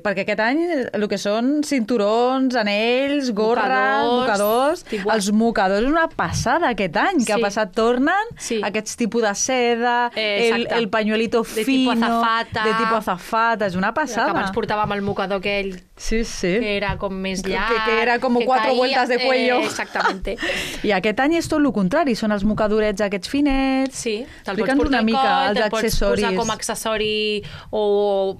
perquè aquest any el que són cinturons, anells, gorres, Mocadors, mocadors, tipus- els mocadors és una passada aquest any, que Sí. ha passat tornen, Sí. aquests tipus de seda, Eh, el, exacte. el pañuelito De fino, tipo azafata. de tipo azafata, és una Que passada. abans portàvem el mocador aquell Sí, sí. que era com més Que- llarg. que era como cuatro vueltas de cuello. Eh, exactamente. I aquest any és tot el contrari, són els mocadorets aquests finets. Sí, te'l pots Explica'ns portar una mica al coll, els te'l pots accessoris. posar com a accessori o...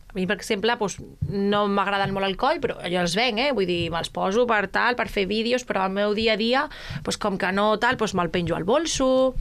A mi, per exemple, doncs, no m'agraden molt el coll, però jo els venc, eh? Vull dir, me'ls poso per tal, per fer vídeos, però al meu dia a dia, doncs, com que no tal, doncs me'l penjo al bolso,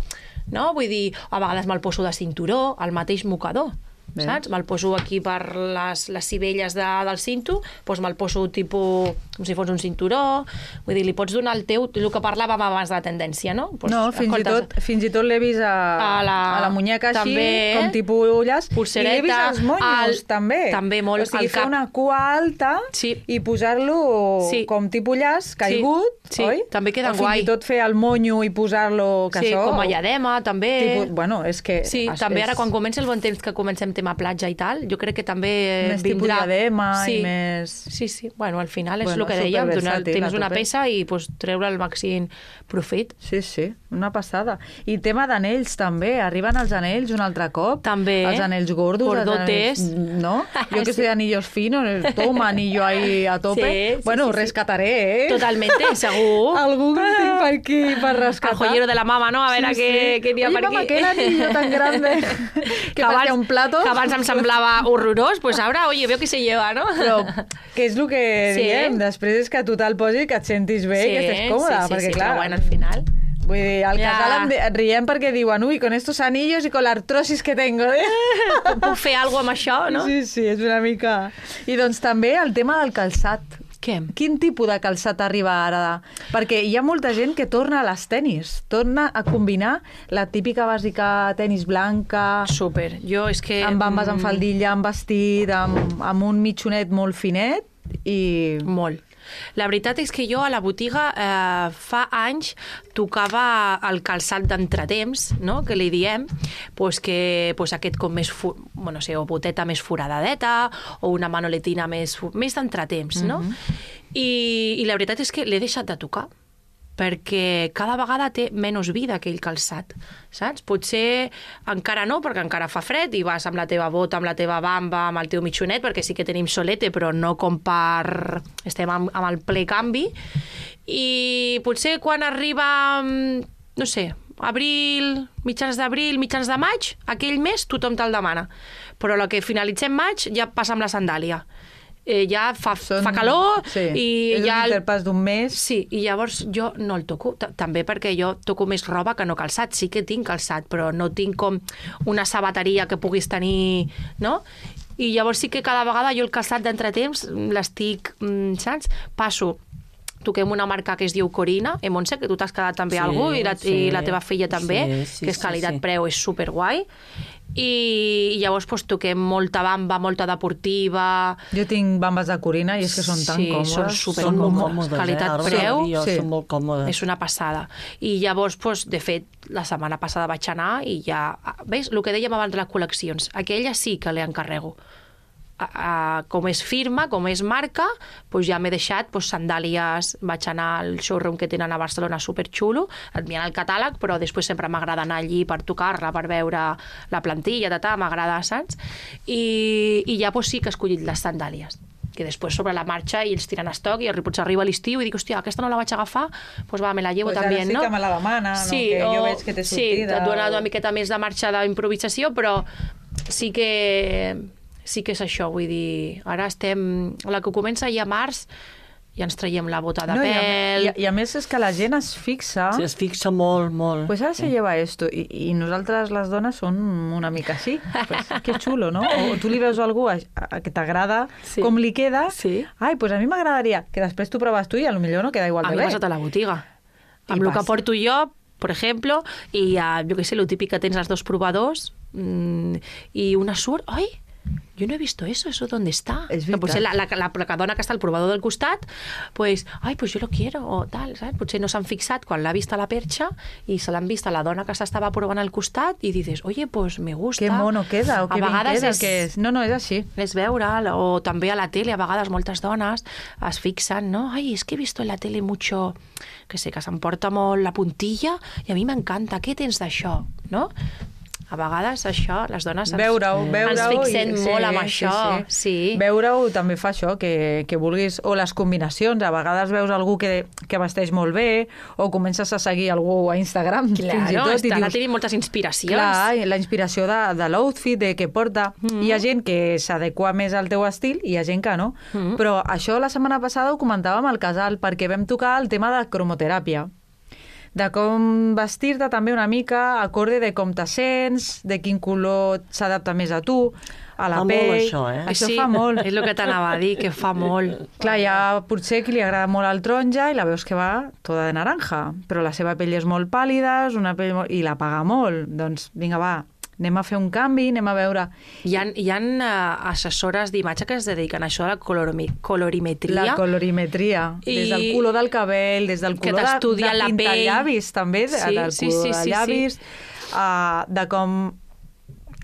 no? Vull dir, a vegades me'l poso de cinturó, al mateix mocador. Bé. Saps? Me'l poso aquí per les, les cibelles de, del cinto, doncs me'l poso tipus com si fos un cinturó, vull dir, li pots donar el teu, el que parlàvem abans de la tendència, no? Doncs, No, fins i tot, fins i tot l'he vist a, A la- a la muñeca així, també, com tipus ulles, pulsereta, i l'he vist als monyos, al- també. també molt O sigui, al fer cap. una cua alta Sí. i posar-lo Sí. com tipus llaç, caigut, Sí, oi? també queda o fins guai. i tot fer el monyo i posar-lo... Que Sí, això, com a lladema, també. Tipus, bueno, és que... Sí, és- també és- ara quan comença el bon temps, que comencem tema platja i tal, jo crec que també Més tipus vindrà... diadema sí. i més... Sí, sí, bueno, al final és Bueno, el que dèiem, donar, superversàtil, tens a una tope. peça i pues, treure el màxim profit. Sí, sí, una passada. I tema d'anells també, arriben els anells un altre cop. També. Els anells gordos. Gordotes. Els anells, no? Jo que Sí. sé anillos finos, toma anillo ahí a tope. Sí, sí, bueno, sí, sí. rescataré, eh? Totalmente, segur. Algú que tinc per aquí per rescatar. El joyero de la mama, no? A veure Sí, què, sí. què n'hi ha Oye, per mamá, aquí. aquel anillo tan grande que parecía un plato. Que abans em semblava horrorós, pues ara, oye, veo que se lleva, no? Però què és el que Sí. diem? Després és que tu te'l posis, que et sentis bé, que estés còmoda, sí, sí, perquè sí, clar... però bueno, al final... Vull dir, al Ja. casal em de- et riem perquè diuen ui, con estos anillos y con la artrosis que tengo. Eh? Puc fer alguna cosa amb això, no? Sí, sí, és una mica... I doncs també el tema del calçat. Què? Quin tipus de calçat arriba ara? Perquè hi ha molta gent que torna a les tenis, torna a combinar la típica bàsica tenis blanca, Super. Jo és que... amb bambes, amb mm, faldilla, amb vestit, amb, amb un mitjonet molt finet i... Molt. La veritat és que jo a la botiga eh, fa anys tocava el calçat d'entretemps, no? Que li diem, pues que pues aquest com més, fu bueno, sé, o boteta més foradadeta, o una manoletina més, fu- més d'entretemps, no? I, I la veritat és que l'he deixat de tocar, perquè cada vegada té menys vida aquell calçat, saps? Potser encara no, perquè encara fa fred i vas amb la teva bota, amb la teva bamba, amb el teu mitjonet, perquè sí que tenim solete, però no com per... estem amb, amb el ple canvi. I potser quan arriba, mm, no sé, abril, mitjans d'abril, mitjans de maig, aquell mes tothom te'l demana. Però el que finalitzem maig ja passa amb la sandàlia. Eh, ja fa, Són- fa calor sí. i és ja... un el- interpàs d'un mes. Sí, i llavors jo no el toco, t- també perquè jo toco més roba que no calçat. Sí que tinc calçat, però no tinc com una sabateria que puguis tenir, no? I llavors sí que cada vegada jo el calçat d'entretemps l'estic, mm, saps? Passo toquem una marca que es diu Corina, eh, Montse, que tu t'has quedat també Sí, algú, i la, sí. i la teva filla també, Sí, sí, que és sí, qualitat-preu, és superguai. I, i llavors pues, toquem molta bamba, molta deportiva... Jo tinc bambes de Corina i és que són tan Sí, còmodes. són super Són molt còmodes. còmodes, Qualitat-preu, eh? Jo, sí. Són molt còmodes. és una passada. I llavors, doncs, de fet, la setmana passada vaig anar i ja... Veus, el que dèiem abans de les col·leccions, aquella sí que l'encarrego. A, a, com és firma, com és marca, doncs ja m'he deixat doncs, sandàlies, vaig anar al showroom que tenen a Barcelona superxulo, enviant el catàleg, però després sempre m'agrada anar allí per tocar-la, per veure la plantilla, tata, m'agrada, saps? I, I ja doncs, sí que he escollit les sandàlies, que després sobre la marxa i ells tiren estoc i potser arriba l'estiu i dic, hòstia, aquesta no la vaig agafar, doncs va, me la llevo Pues també, ara sí no? que me la demana, no? Sí, Que o, jo veig que té sí, sortida, et dona o- una miqueta més de marxa d'improvisació, però sí que sí que és això, vull dir, ara estem, la que comença ja a març, ja ens traiem la bota de No, i, a, pèl... i, a, I a més és que la gent es fixa... Sí, es fixa molt, molt. Pues ara se lleva esto, i, i nosaltres les dones som una mica així. Pues, que xulo, no? O tu li veus a algú a, a, que t'agrada Sí. com li queda, Sí. ai, pues a mi m'agradaria, que després tu proves tu i a lo millor no queda igual A de mi bé. m'ha passat a la botiga. I Amb el que passa. porto jo, per exemple, i uh, jo què sé, lo típic que tens els dos provadors, mm, i una surt, ai, yo no he visto eso, ¿eso dónde está? És Que potser la, veritat. la, la, la dona que està al provador del costat, pues, ai, pues yo lo quiero, o tal, saps? Potser no s'han fixat quan l'ha vist a la perxa i se l'han vist a la dona que s'estava provant al costat i dices, oye, pues me gusta. Que mono queda, o A que ben vegades queda. és- Que és... No, no, és així. és veure'l, o també a la tele, a vegades moltes dones es fixen, no? Ai, es que he visto en la tele mucho, que sé, que s'emporta molt la puntilla i a mi m'encanta, què tens d'això, no? A vegades això, les dones ens, Veure-ho, veure-ho... ens fixem i- molt amb això. Sí, sí. Veure-ho també fa això, que, que vulguis... O les combinacions, a vegades veus algú que, que vesteix molt bé, o comences a seguir algú a Instagram, Claro, fins i tot, i està, dius... la tenim moltes inspiracions. Clar, i la inspiració de, de l'outfit, de què porta. Mm. Hi ha gent que s'adequa més al teu estil i hi ha gent que no. Mm. Però això la setmana passada ho comentàvem al casal, perquè vam tocar el tema de cromoteràpia. De com vestir-te també una mica, acorde de com te sents, de quin color s'adapta més a tu, a la Fa molt pell... això, eh? Això sí, fa molt. És el que t'anava a dir, que fa molt. Clar, hi ha potser qui li agrada molt el taronja i la veus que va tota de naranja, però la seva pell és molt pàl·lida, és una pell molt... i la paga molt. Doncs vinga, va, anem a fer un canvi, anem a veure... Hi ha, hi ha uh, assessores d'imatge que es dediquen a això de la colorimi, colorimetria. La colorimetria, I- des del color del cabell, des del Que color de, t'estudien de la pintar pell. llavis, també, de, Sí, del sí, color sí, de sí, llavis, uh, de com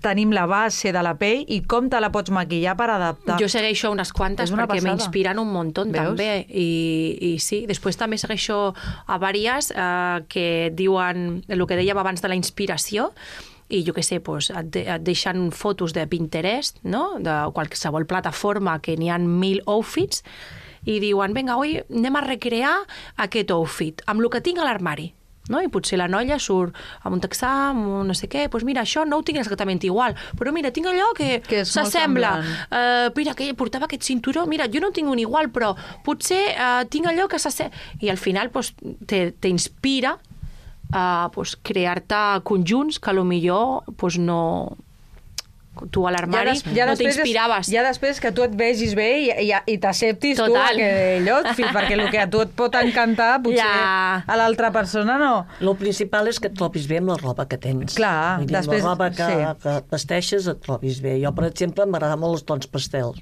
tenim la base de la pell i com te la pots maquillar per adaptar. Jo segueixo unes quantes És una perquè passada. m'inspiren un muntó també. I, I sí, després també segueixo a vàries eh, que diuen el que dèiem abans de la inspiració, i jo què sé, doncs, et, de, et deixen fotos de Pinterest, no? De qualsevol plataforma que n'hi ha mil outfits, i diuen, vinga, avui anem a recrear aquest outfit amb el que tinc a l'armari. No? I potser la noia surt amb un texà, amb un no sé què, doncs mira, això no ho tinc exactament igual, però mira, tinc allò que, Que és molt s'assembla. semblant. Uh, mira, que portava aquest cinturó, mira, jo no tinc un igual, però potser uh, tinc allò que s'assembla. I al final pues, te, te inspira a pues, crear-te conjunts que potser pues, no... tu a l'armari des- ja no després és- t'inspiraves. Ja després que tu et vegis bé i, i, i t'acceptis tu Total. aquell outfit, perquè el que a tu et pot encantar, potser Ja. a l'altra persona no. El principal és que et trobis bé amb la roba que tens. Clar, Vull dir, després- la roba que, sí. que vesteixes et trobis bé. Jo, per exemple, m'agrada molt els tons pastels.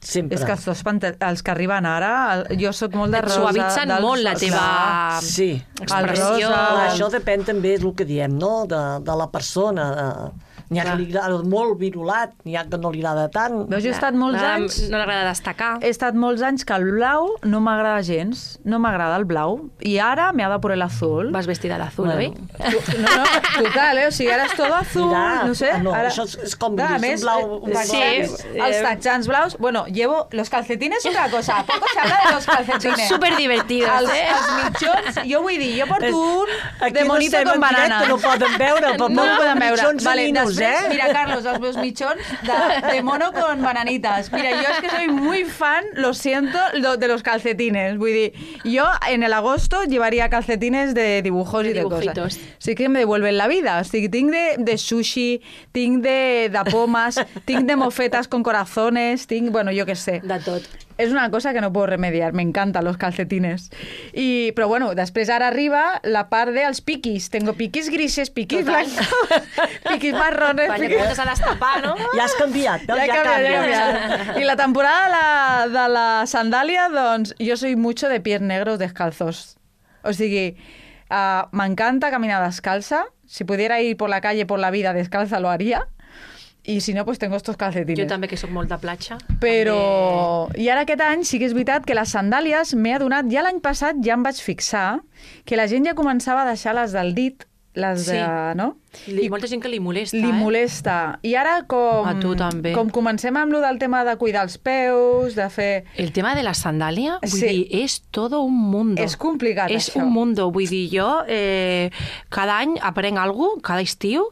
Sempre. És que els, dos pante- els que arriben ara, el- jo sóc molt de Et rosa. suavitzen dels- molt la teva Clar. Sí. expressió. El rosa. Clar, això depèn també, és el que diem, no? de, de la persona. De... N'hi ha que li agrada molt virulat, n'hi ha que no li agrada tant. Veus, jo he estat molts M'agrada- anys... No l'agrada destacar. He estat molts anys que el blau no m'agrada gens. No m'agrada el blau. I ara me ha de por el azul. Vas vestida d'azul, Bueno. oi? Tu- No, no, total, eh? O sigui, ara és tot azul, Mira, no sé. no, ara... això és- és com Clar, a gris, més, un blau- un eh, blau- texans, Sí, els eh, texans blaus... Bueno, llevo... Los calcetines otra cosa. Poco se habla de los calcetines. Són superdivertidos, els, eh? Els mitjons, jo vull dir, jo porto un Aquí de no monito estem con en directe, banana. no poden veure, però No ho porten poden veure. mitjons Vale, ninos, després, eh? mira, Carlos, els meus mitjons de, de mono con bananitas. Mira, yo es que soy muy fan, lo siento, lo- de los calcetines. Vull dir, yo en el agosto llevaría calcetines de dibujos De y de dibujitos. cosas. Sí que me devuelven la vida. O sigui, tinc de, de sushi, tinc de, de pomes, tinc de mofetas con corazones, tinc, bueno, jo què sé. De tot. És una cosa que no puedo remediar, me encantan los calcetines. I, però bueno, després ara arriba la part dels piquis. Tengo piquis grises, piquis Total. blancos, piquis marrones... Quan ja piquis... comences a destapar, no? Ja has canviat, veus? Ja, Ja, ja, canvia, ja canvies. canvia. I la temporada de la, de la sandàlia, doncs, jo soy mucho de pies negros descalzos. O sigui, uh, m'encanta caminar descalza. Si pudiera ir por la calle, por la vida descalza, lo haría. Y si no, pues tengo estos calcetines. Jo també, que sóc molt de platja. Però... I ara aquest any sí que és veritat que les sandàlies m'he adonat... Ja l'any passat ja em vaig fixar que la gent ja començava a deixar les del dit, les de... Sí. No? Li, molta gent que li molesta, Li eh? molesta. I ara com... A tu també. Com comencem amb lo del tema de cuidar els peus, de fer... El tema de la sandàlia, vull Sí. dir, és todo un mundo. És complicat, és això. un mundo. Vull dir, jo eh, cada any aprenc alguna cosa, cada estiu,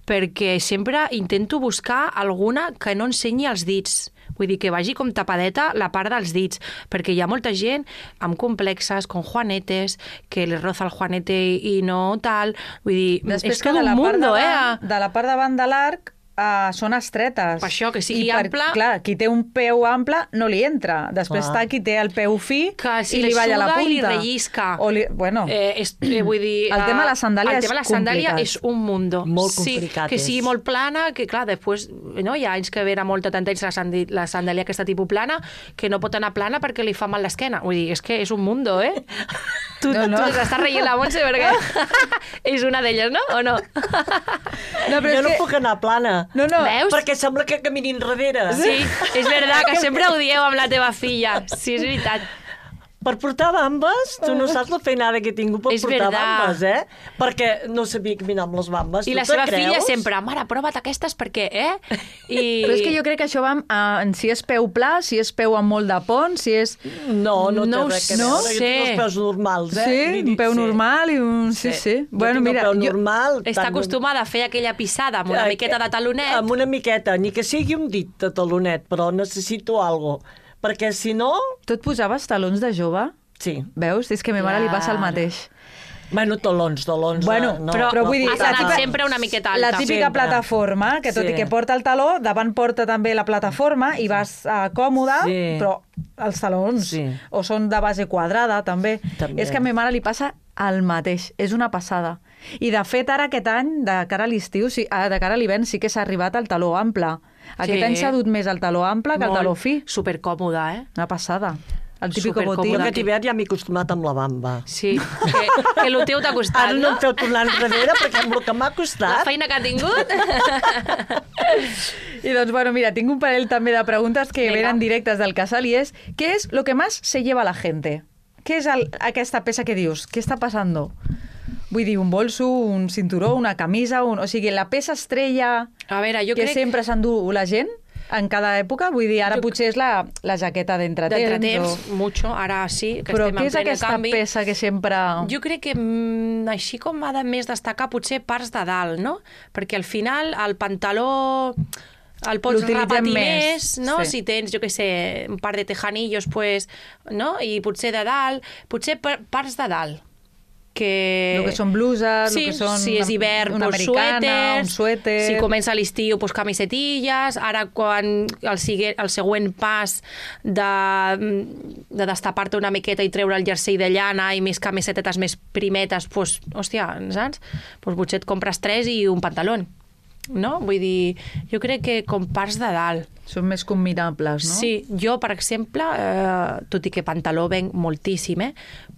perquè sempre intento buscar alguna que no ensenyi els dits. Vull dir, que vagi com tapadeta la part dels dits, perquè hi ha molta gent amb complexes, con juanetes, que les roza el juanete i no tal. Vull dir, Després és que tot de un la part mundo, davant, eh? de la part davant de l'arc uh, són estretes. Per això, que sigui I per, ample- Clar, qui té un peu ample no li entra. Després Clar. està qui té el peu fi Que si i li li balla la suda punta. i li rellisca. O li, bueno, Eh, és, eh, vull dir, El tema de la eh, sandàlia el tema de la és sandàlia complicat. és un mundo. Molt sí, complicat que és. sigui molt plana, que clar, després no, hi ha anys que ve a molta tanta la, sandi, la sandàlia aquesta tipus plana, que no pot anar plana perquè li fa mal l'esquena. Vull dir, és que és un mundo, eh? Tu, No, no. tu t'estàs reient la Montse perquè és una d'elles, no? O no? no, però Jo és no que... puc anar plana. No, no, Veus? Perquè sembla que caminin darrere. Sí, és veritat, que sempre ho dieu amb la teva filla. Sí, és veritat. Per portar bambes, tu no saps la feinada que he tingut per És portar verdad. bambes, eh? Perquè no sabia caminar amb les bambes. I Tu la te seva creus? filla sempre, mare, prova't aquestes perquè, eh? I... Però és que jo crec que això va amb, uh, en si és peu pla, si és peu amb molt de pont, si és... No, no, No té res a ho veure. Jo sé. tinc els peus normals, eh? Sí, Li un dic, peu sí. normal i un... Sí, sí. Sí. Bueno, jo tinc mira, el peu jo... normal. Està tant- acostumada a fer aquella pisada amb una Eh, miqueta de talonet. Amb una miqueta, ni que sigui un dit de talonet, però necessito algo. Perquè si no... Tu et posaves talons de jove? Sí. Veus? És que a ma mare li passa el Clar. mateix. Bueno, talons, talons... Bueno, eh, no, però- però vull dir, has la anat típica- sempre una miqueta La alta. típica Sempre. plataforma, que tot Sí. i que porta el taló, davant porta també la plataforma i vas uh, còmode, Sí. però els talons Sí. o són de base quadrada, també. També. És que a ma mare li passa el mateix, és una passada. I de fet, ara aquest any, de cara a l'estiu, sí, ah, de cara a l'hivern, sí que s'ha arribat al taló ample. Aquest Sí. any s'ha dut més el taló ample que el Molt taló fi. Supercòmode, eh? Una passada. El típico supercòmode. botín. Aquest hivern ja m'he acostumat amb la bamba. Sí, que, que el teu t'ha costat, Ara no no? em feu tornar enrere perquè amb el que m'ha La costat... feina que ha tingut. I doncs, bueno, mira, tinc un parell també de preguntes que Vinga. venen directes del casal i és, ¿qué es lo que más se lleva la gente? Què és el, aquesta peça que dius? Què està passant? Vull dir, un bolso, un cinturó, una camisa, un... o sigui, la peça estrella A veure, jo que crec... sempre s'endú la gent en cada època, vull dir, ara Jo- potser és la, la jaqueta d'entretemps. D'entretemps, o... mucho, ara sí, que Però estem què en és ple aquesta canvi. peça que sempre... Jo crec que mm, així com ha de més destacar potser parts de dalt, no? Perquè al final el pantaló el pots L'utilitzem repetir més, més, no? sí. Si tens, jo què sé, un par de tejanillos, pues, no? I potser de dalt, potser par- parts de dalt. Que... El que són bluses, sí, el que són si és hivern, una pues, americana, suèters, un suèter... si comença l'estiu, pues, camisetilles, ara quan el, sigue, el següent pas de, de destapar-te una miqueta i treure el jersei de llana i més camisetetes més primetes, pues, hòstia, saps? Pues, potser et compres tres i un pantaló, no? Vull dir, jo crec que com parts de dalt. Són més combinables, no? Sí, jo, per exemple, eh, tot i que pantaló venc moltíssim, eh,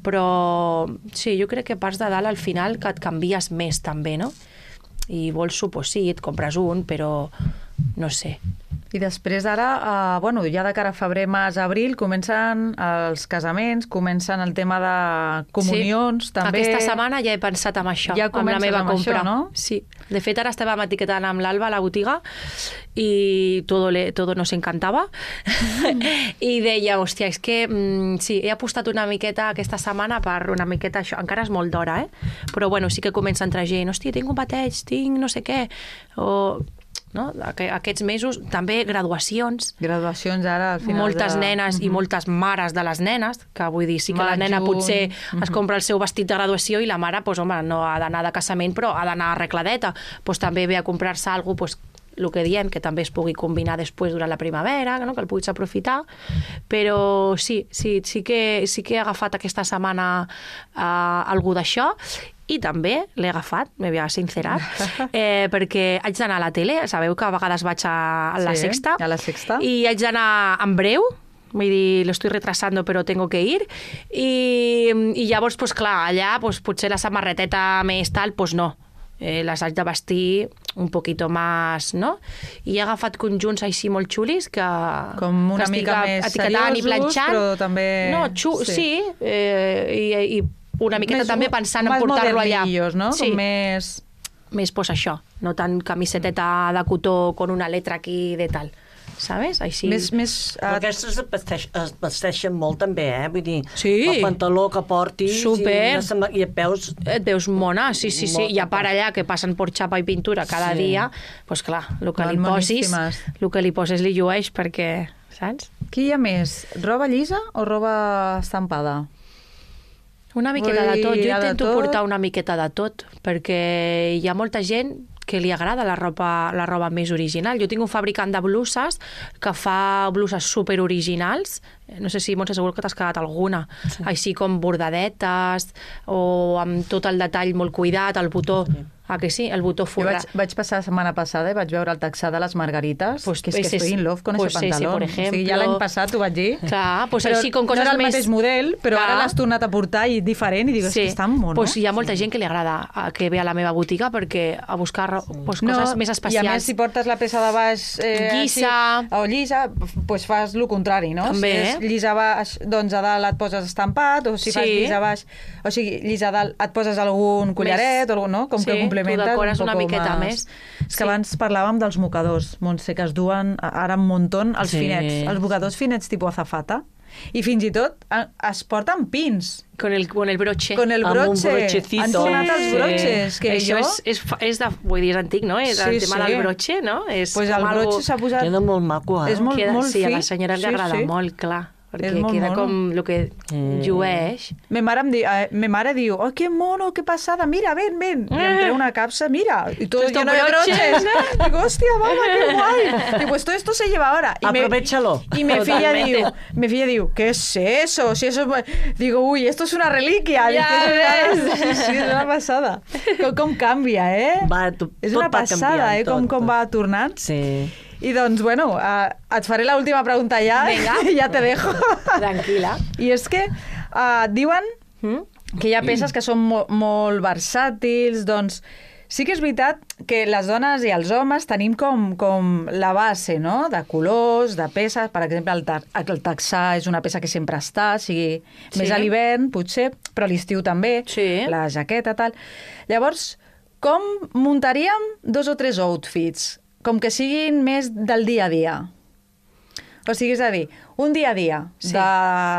però sí, jo crec que parts de dalt al final que et canvies més també, no? I bolso, pues sí, et compres un, però no sé. I després ara, eh, bueno, ja de cara a febrer, març, abril, comencen els casaments, comencen el tema de comunions, sí. també... Aquesta setmana ja he pensat en això, Ja amb la comences meva amb compra. això, no? Sí. De fet, ara estàvem etiquetant amb l'Alba a la botiga i todo, le, todo nos encantava. I deia, hòstia, és que mm, sí, he apostat una miqueta aquesta setmana per una miqueta això. Encara és molt d'hora, eh? Però bueno, sí que comença a entrar gent. Hòstia, tinc un bateig, tinc no sé què. O... No? Aquests mesos, també graduacions, Graduacions ara, al final moltes de... nenes i moltes mares de les nenes, que vull dir, sí que la Maig, nena juny. potser es compra el seu vestit de graduació i la mare, doncs, home, no ha d'anar de casament, però ha d'anar arregladeta. Doncs també ve a comprar-se alguna cosa, doncs, el que diem, que també es pugui combinar després durant la primavera, no? Que el puguis aprofitar. Però sí, sí, sí, que, sí que he agafat aquesta setmana eh, algú d'això. I també l'he agafat, me voy a sincerar, eh, perquè haig d'anar a la tele, sabeu que a vegades vaig a, a la Sí, Sexta, a la Sexta. i haig d'anar en breu, vull dir, lo estoy retrasando però tengo que ir, i, i llavors, pues, clar, allà pues, potser la samarreteta més tal, pues no, eh, les haig de vestir un poquito más, no? I he agafat conjunts així molt xulis que, Com una que estic mica més etiquetant i seriosos, planxant. però també... No, xu, sí, sí. sí eh, i, i una miqueta Més- també pensant en més portar-lo allà. modernillos, no? Sí. Com més... Més, pues això, no tant camiseteta de cotó con una letra aquí de tal, ¿sabes? Així. Més, més Però uh, aquestes es, vesteix, es vesteixen molt també, eh? Vull dir, Sí. el pantaló que portis Súper. i, una sema- i et veus... Et veus mona, sí, sí, sí. Molt I a part allà que passen per xapa i pintura cada Sí. dia, doncs clar, el que Van li posis, moníssimes. el que li poses li llueix perquè, saps? Qui hi ha més? Roba llisa o roba estampada? Una miqueta Vull de tot. dir, Jo hi ha de intento tot. portar una miqueta de tot, perquè hi ha molta gent que li agrada la roba, la roba més original. Jo tinc un fabricant de bluses que fa bluses super originals. No sé si, Montse, segur que t'has quedat alguna. Sí. Així com bordadetes o amb tot el detall molt cuidat, el botó... Sí. Ah, que sí? El botó Jo forrat. vaig, vaig passar la setmana passada i vaig veure el taxà de les margarites, Pues que és que ese estoy es- in love con pues ese ese, pantalón. por O sigui, ja ejemplo. l'any passat ho vaig dir. Clar, pues però així com coses no era el més... mateix model, però Clar. ara l'has tornat a portar i diferent i dic, és que està mono. Pues hi ha molta gent que li agrada eh, que ve a la meva botiga perquè a buscar ro- pues, coses més especials. I a més, si portes la peça de baix eh, Llisa. així, o llisa, pues fas el contrari, no? També, si és eh? llisa baix, doncs a dalt et poses estampat, o si Sí. fas llisa baix, o sigui, llisa a dalt et poses algun collaret, o algun, no? Com Sí, que complementes tu decores un una poco miqueta más. més. És que Sí. abans parlàvem dels mocadors, Montse, que es duen ara un muntó els Sí. finets, els mocadors finets tipus azafata, i fins i tot eh, es porten pins, Con el, con el broche. con el Amb un broche. brochecito. Han tornat els Sí. broches, que Això jo... és, és, fa- és, de, vull dir, és antic, no? És el Sí, tema sí. del broche, no? És Pues el com algo- broche s'ha posat... Queda molt maco, eh? És molt, queda, molt sí, fi. a la senyora li Sí, agrada sí. molt, clar, perquè És molt queda mono. com el que Mm. llueix. Me mare, em di, eh, me mare diu, oh, que mono, que passada, mira, ven, ven. I em treu una capsa, mira, y todo Esto lleno de broche. broches. Digo, hostia, mamá, qué guay. Digo, pues todo esto se lleva ahora. Y me- Aprovechalo. Y mi filla Totalmente. diu, mi filla diu, ¿qué es eso? Si eso es... Digo, uy, esto es una reliquia. Ja Dic, ves. Sí, sí, és una passada. Com, com canvia, eh? Va, tu- és tot una va passada, canviant, eh? Com, tot. com va tornant. Sí. I doncs, bueno, uh, et faré l'última pregunta ja. Vinga. I ja te dejo. Tranquil·la. I és que uh, diuen Mm? que hi ha peces que són mo molt versàtils, doncs sí que és veritat que les dones i els homes tenim com, com la base, no?, de colors, de peces. Per exemple, el, ta el texà és una peça que sempre està, sigui Sí. més a l'hivern, potser, però a l'estiu també, Sí. la jaqueta, tal. Llavors, com muntaríem dos o tres outfits, com que siguin més del dia a dia? O sigui, és a dir, un dia a dia, Sí. de,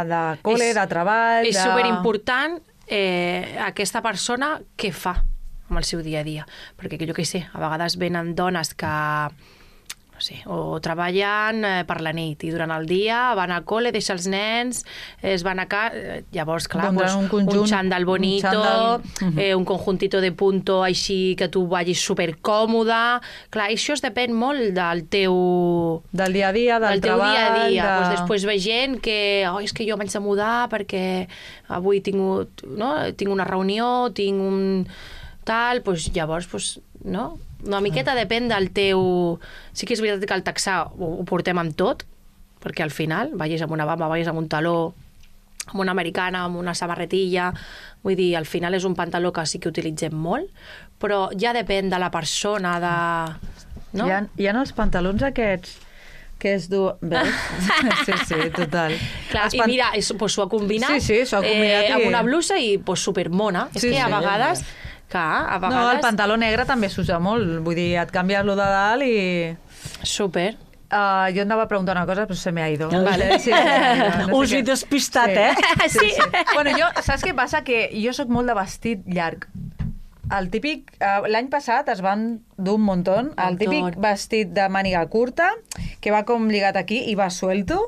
de col·le, És- de treball... És de... superimportant eh, aquesta persona què fa amb el seu dia a dia. Perquè, jo què sé, a vegades venen dones que no sé, o treballen eh, per la nit i durant el dia van al col·le, deixa els nens, es van a casa... Llavors, clar, Pondran pues, un conjunt, un xandall bonito, un un, xandall. eh, un conjuntito de punto així que tu vagis supercòmode. Clar, això es depèn molt del teu... Del dia a dia, del, del teu treball... dia a dia. De... Pues després ve gent que oh, és que jo m'haig de mudar perquè avui tinc, un- no? tinc una reunió, tinc un tal, pues, llavors, pues, no? Una miqueta depèn del teu... Sí que és veritat que el texà ho, ho portem amb tot, perquè al final vagis amb una bamba, vagis amb un taló, amb una americana, amb una samarretilla... Vull dir, al final és un pantaló que sí que utilitzem molt, però ja depèn de la persona, de... No? Hi, ha, hi ha els pantalons aquests que es du... Veus? Sí, sí, total. Clar, Els i pan- mira, és, pues, s'ho ha combinat, Sí, sí, s'ho ha combinat eh, amb i- una blusa i pues, supermona. És Sí, que a sí. vegades... Clar, a vegades... No, el pantaló negre també s'usa molt. Vull dir, et canvies lo de dalt i... Super. Uh, jo anava a preguntar una cosa, però se me ha ido. Vale. Sí, no Us sé he què. despistat, Sí. eh? Sí, sí. Bueno, jo, saps què passa? Que jo sóc molt de vestit llarg. El típic... Uh, L'any passat es van dur un muntó. El Montón. típic vestit de màniga curta, que va com lligat aquí i va suelto,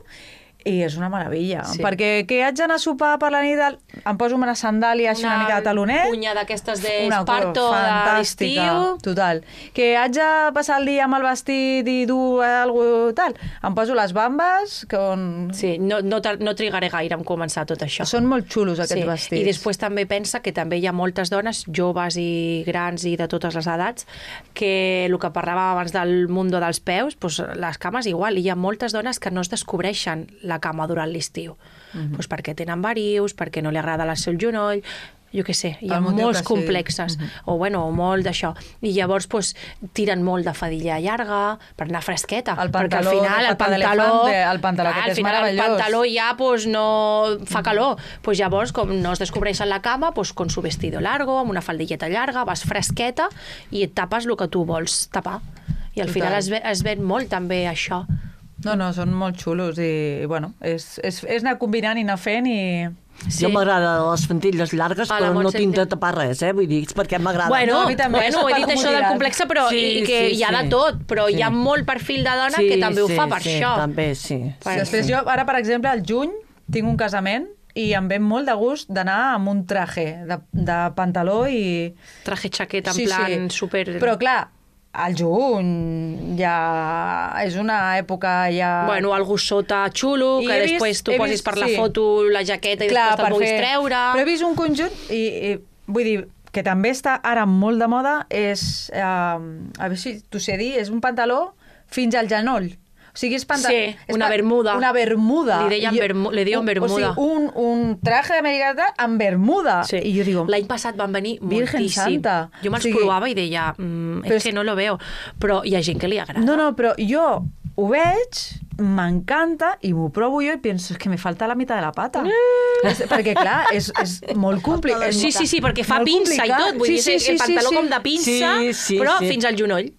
i és una meravella. Sí. Perquè que haig d'anar a sopar per la nit, del- em poso una sandàlia així una, mica de talonet. Punya d'aquestes Una d'esparto cosa de fantàstica, l'estiu. total. Que haig de passar el dia amb el vestit i dur alguna tal. Em poso les bambes, que on... Sí, no, no, tar- no trigaré gaire en començar tot això. Són molt xulos aquests Sí, vestits. i després també pensa que també hi ha moltes dones, joves i grans i de totes les edats, que el que parlàvem abans del mundo dels peus, doncs les cames igual, i hi ha moltes dones que no es descobreixen la cama durant l'estiu. Mhm. Doncs perquè tenen varius, perquè no li agrada el seu genoll, jo què sé, hi ha El motiu molts que sigui. complexes, o bueno, o molt d'això. I llavors doncs, tiren molt de fadilla llarga per anar fresqueta, El perquè al pantaló final de el pata pantaló, d'elefante, el pantaló clar, aquest al és final el meravellós. pantaló ja pues, no fa calor. Pues llavors, com no es descobreixen la cama, pues, con su vestido largo, amb una faldilleta llarga, vas fresqueta i et tapes el que tu vols tapar. I al Total. final es, ve, es ven molt també això. No, no, són molt xulos i, bueno, és, és, és anar combinant i anar fent i... Sí. Jo m'agrada les fantilles llargues, A la però no Montse tinc de té- tapar res, eh? Vull dir, és perquè m'agrada. Bueno, No, a mi també, bueno, és he per dit això del comoditat. complexe, però Sí, i que sí, hi ha de sí. tot, però Sí. hi ha molt perfil de dona sí, que també ho sí, fa per sí, això. també, sí. Per- Després sí. jo, ara, per exemple, al juny tinc un casament i em ve molt de gust d'anar amb un traje de, de pantaló i... Traje xaqueta en plan super... Però clar, al juny ja és una època ja... Bueno, algú sota xulo, I que he vist- després tu he posis vist- per la sí. foto la jaqueta i Clar, després te'l per puguis fer- treure. Però he vist un conjunt i, i vull dir que també està ara molt de moda és, eh, a veure si t'ho sé dir, és un pantaló fins al genoll. O sigui, és pantaló... Sí, una bermuda. Una bermuda. Li deien I jo- bermu- li diuen o- bermuda. O sigui, un, un traje americà amb bermuda. Sí. I jo digo, L'any passat van venir Virgen moltíssim. Santa. Jo me'ls O sigui, provava i deia, mm, però és que és- no lo veo. Però hi ha gent que li agrada. no, no, però jo ho veig, m'encanta i m'ho provo jo i penso, és que me falta la meitat de la pata. És, perquè, clar, és, és molt complicat. Sí, sí, sí, perquè fa molt pinça i complicat. tot. Vull dir, és el pantaló com de pinça, Sí, sí, però sí. fins al genoll.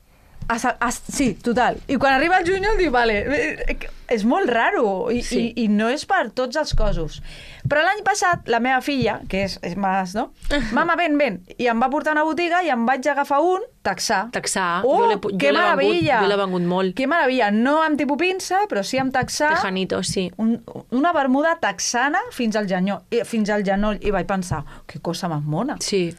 Hasta, hasta, sí, total. I quan arriba el juny, dic, vale, eh, és molt raro i, Sí. i, i no és per tots els cossos. Però l'any passat, la meva filla, que és, és més, no? Mama, ven, ven. I em va portar a una botiga i em vaig agafar un texà. Texà. Oh, Jo l'he pu- jo que l'he vengut- meravella! jo l'he vengut molt. Que meravella. No amb tipus pinça, però sí amb texà. Tejanito, sí. Un, una bermuda texana fins al genoll, eh, fins al genoll. I vaig pensar, que cosa més mona. Sí.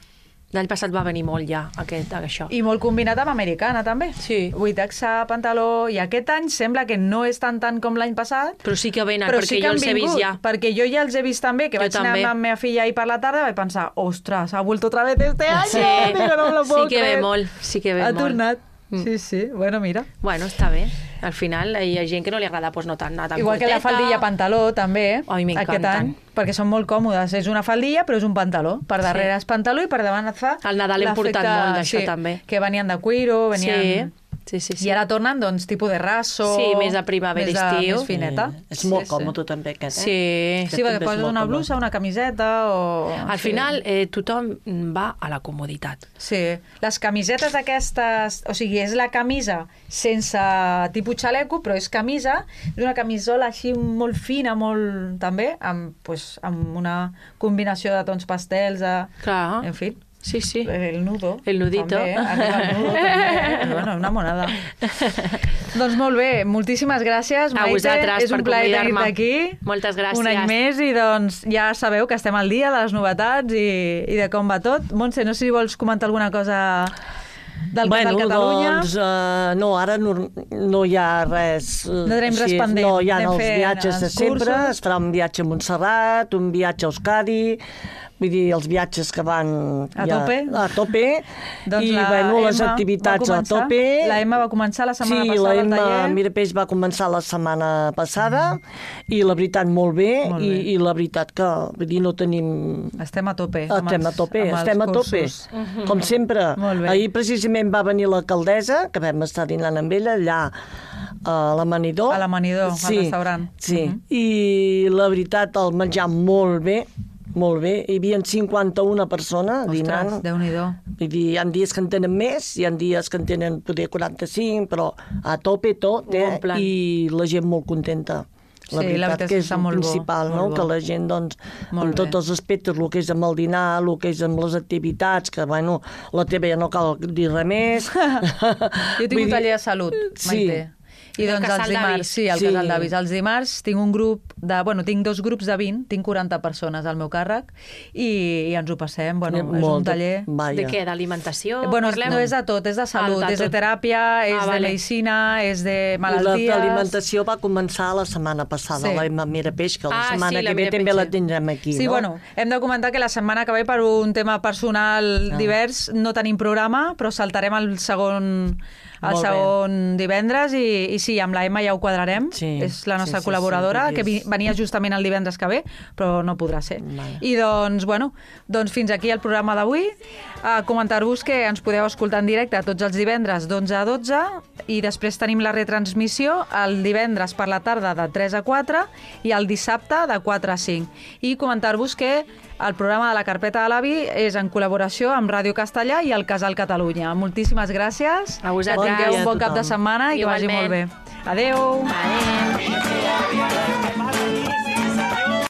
L'any passat va venir molt ja, aquest, això. I molt combinat amb americana, també. Sí. Vull texà, pantaló... I aquest any sembla que no és tan tant com l'any passat, Però sí que venen, però perquè sí que jo han els he vist vingut, ja. perquè jo ja els he vist també, que Jo vaig anar també. amb la meva filla ahir per la tarda i vaig pensar, ostres, ha vuelto otra vez este año, Sí. digo, no me lo puedo Sí que ve creer. molt, sí que ve ha molt. tornat. Mm. Sí, sí, bueno, mira. Bueno, està bé. al final hi ha gent que no li agrada pues, no tan, anar tan Igual que la curteta. faldilla pantaló, també, Ai, aquest m'encanten. any, perquè són molt còmodes. És una faldilla, però és un pantaló. Per darrere és pantaló i per davant et fa... Al Nadal hem portat l'efecte- molt d'això, sí, també. Que venien de cuiro, venien... Sí, sí, sí. I ara tornen, doncs, tipus de raso... Sí, més de primavera, més de- estiu. Més fineta. Eh, és molt còmode també aquest, eh? Sí. Sí, perquè poses una blusa, una camiseta o... Al sí. final, eh, tothom va a la comoditat. Sí, les camisetes aquestes, o sigui, és la camisa sense tipus xaleco, però és camisa, és una camisola així molt fina, molt també, amb, pues, amb una combinació de tons pastels, de... Clar. en fi. Sí, sí. El nudo. El nudito. També, arriba el nudo, també. Bueno, una monada. Doncs molt bé, moltíssimes gràcies, A Maite. vosaltres És un per plaer convidar-me. tenir-te aquí. Moltes gràcies. Un any més i doncs ja sabeu que estem al dia de les novetats i, i de com va tot. Montse, no sé si vols comentar alguna cosa del bueno, Casal Catalunya. doncs, uh, no, ara no, no hi ha res... Uh, No tenim res pendent. No, hi ha Anem els fent viatges de els sempre, cursos. es farà un viatge a Montserrat, un viatge a Euskadi, vull dir, els viatges que van... A ja, tope. A tope. Doncs I, la bueno, les Emma activitats va a començar- tope. La Emma va començar la setmana sí, passada la al Emma taller. Mirapeix va començar la setmana passada i la veritat molt bé, Molt i, bé. i la veritat que vull dir, no tenim... Estem a tope. amb Estem a els- tope, amb els estem a tope, cursos. com sempre. Molt bé. Ahir precisament va venir l'alcaldessa, que vam estar dinant amb ella allà a l'Amanidor. A l'Amanidor, al sí, restaurant. Sí, Mhm. i la veritat, el menjar molt bé, molt bé. Hi havia cinquanta-una persones dinant. Ostres, Déu-n'hi-do. Vull dir, hi ha dies que en tenen més, hi ha dies que en tenen poder quaranta-cinc, però a tope tot, eh? Bon plan. I la gent molt contenta. La Sí, la veritat, veritat que és és que està el molt bo, principal, molt no? bo. Que la gent, doncs, Molt amb bé. tots els aspectes, el que és amb el dinar, el que és amb les activitats, que, bueno, la teva ja no cal dir res més. Jo tinc un taller de salut, Sí. Maite. I El doncs Casal els d'Avis. dimarts, sí, al Sí. Casal d'Avis. Els dimarts tinc un grup de... Bueno, tinc dos grups de vint, tinc quaranta persones al meu càrrec i, i ens ho passem. Bueno, és un Molt, taller... Vaja. De què? D'alimentació? Bueno, parlem? no és de tot, és de salut, Ah, de és de tot. teràpia, és Ah, de vale. medicina, és de I malalties... l'alimentació va començar la setmana passada, Sí. la Emma Mirapeix, que la Ah, setmana sí, la que ve Mirapeix, també la sí. tindrem aquí, Sí, no? bueno, hem de comentar que la setmana que ve, per un tema personal Ah. divers, no tenim programa, però saltarem el segon, el Molt bé. segon divendres i, i sí, amb la Emma ja ho quadrarem. Sí, És la nostra sí, sí, col·laboradora, sí, que vi- és- venia justament el divendres que ve, però no podrà ser. Vale. I doncs, bueno, doncs fins aquí el programa d'avui. A comentar-vos que ens podeu escoltar en directe tots els divendres d'onze a dotze i després tenim la retransmissió el divendres per la tarda de tres a quatre i el dissabte de quatre a cinc. I comentar-vos que el programa de la Carpeta de l'Avi és en col·laboració amb Ràdio Castellà i el Casal Catalunya. Moltíssimes gràcies. A vosaltres. Que tingueu un bon A cap de tothom. setmana i que vagi Igualment. molt bé. Adéu. Adéu.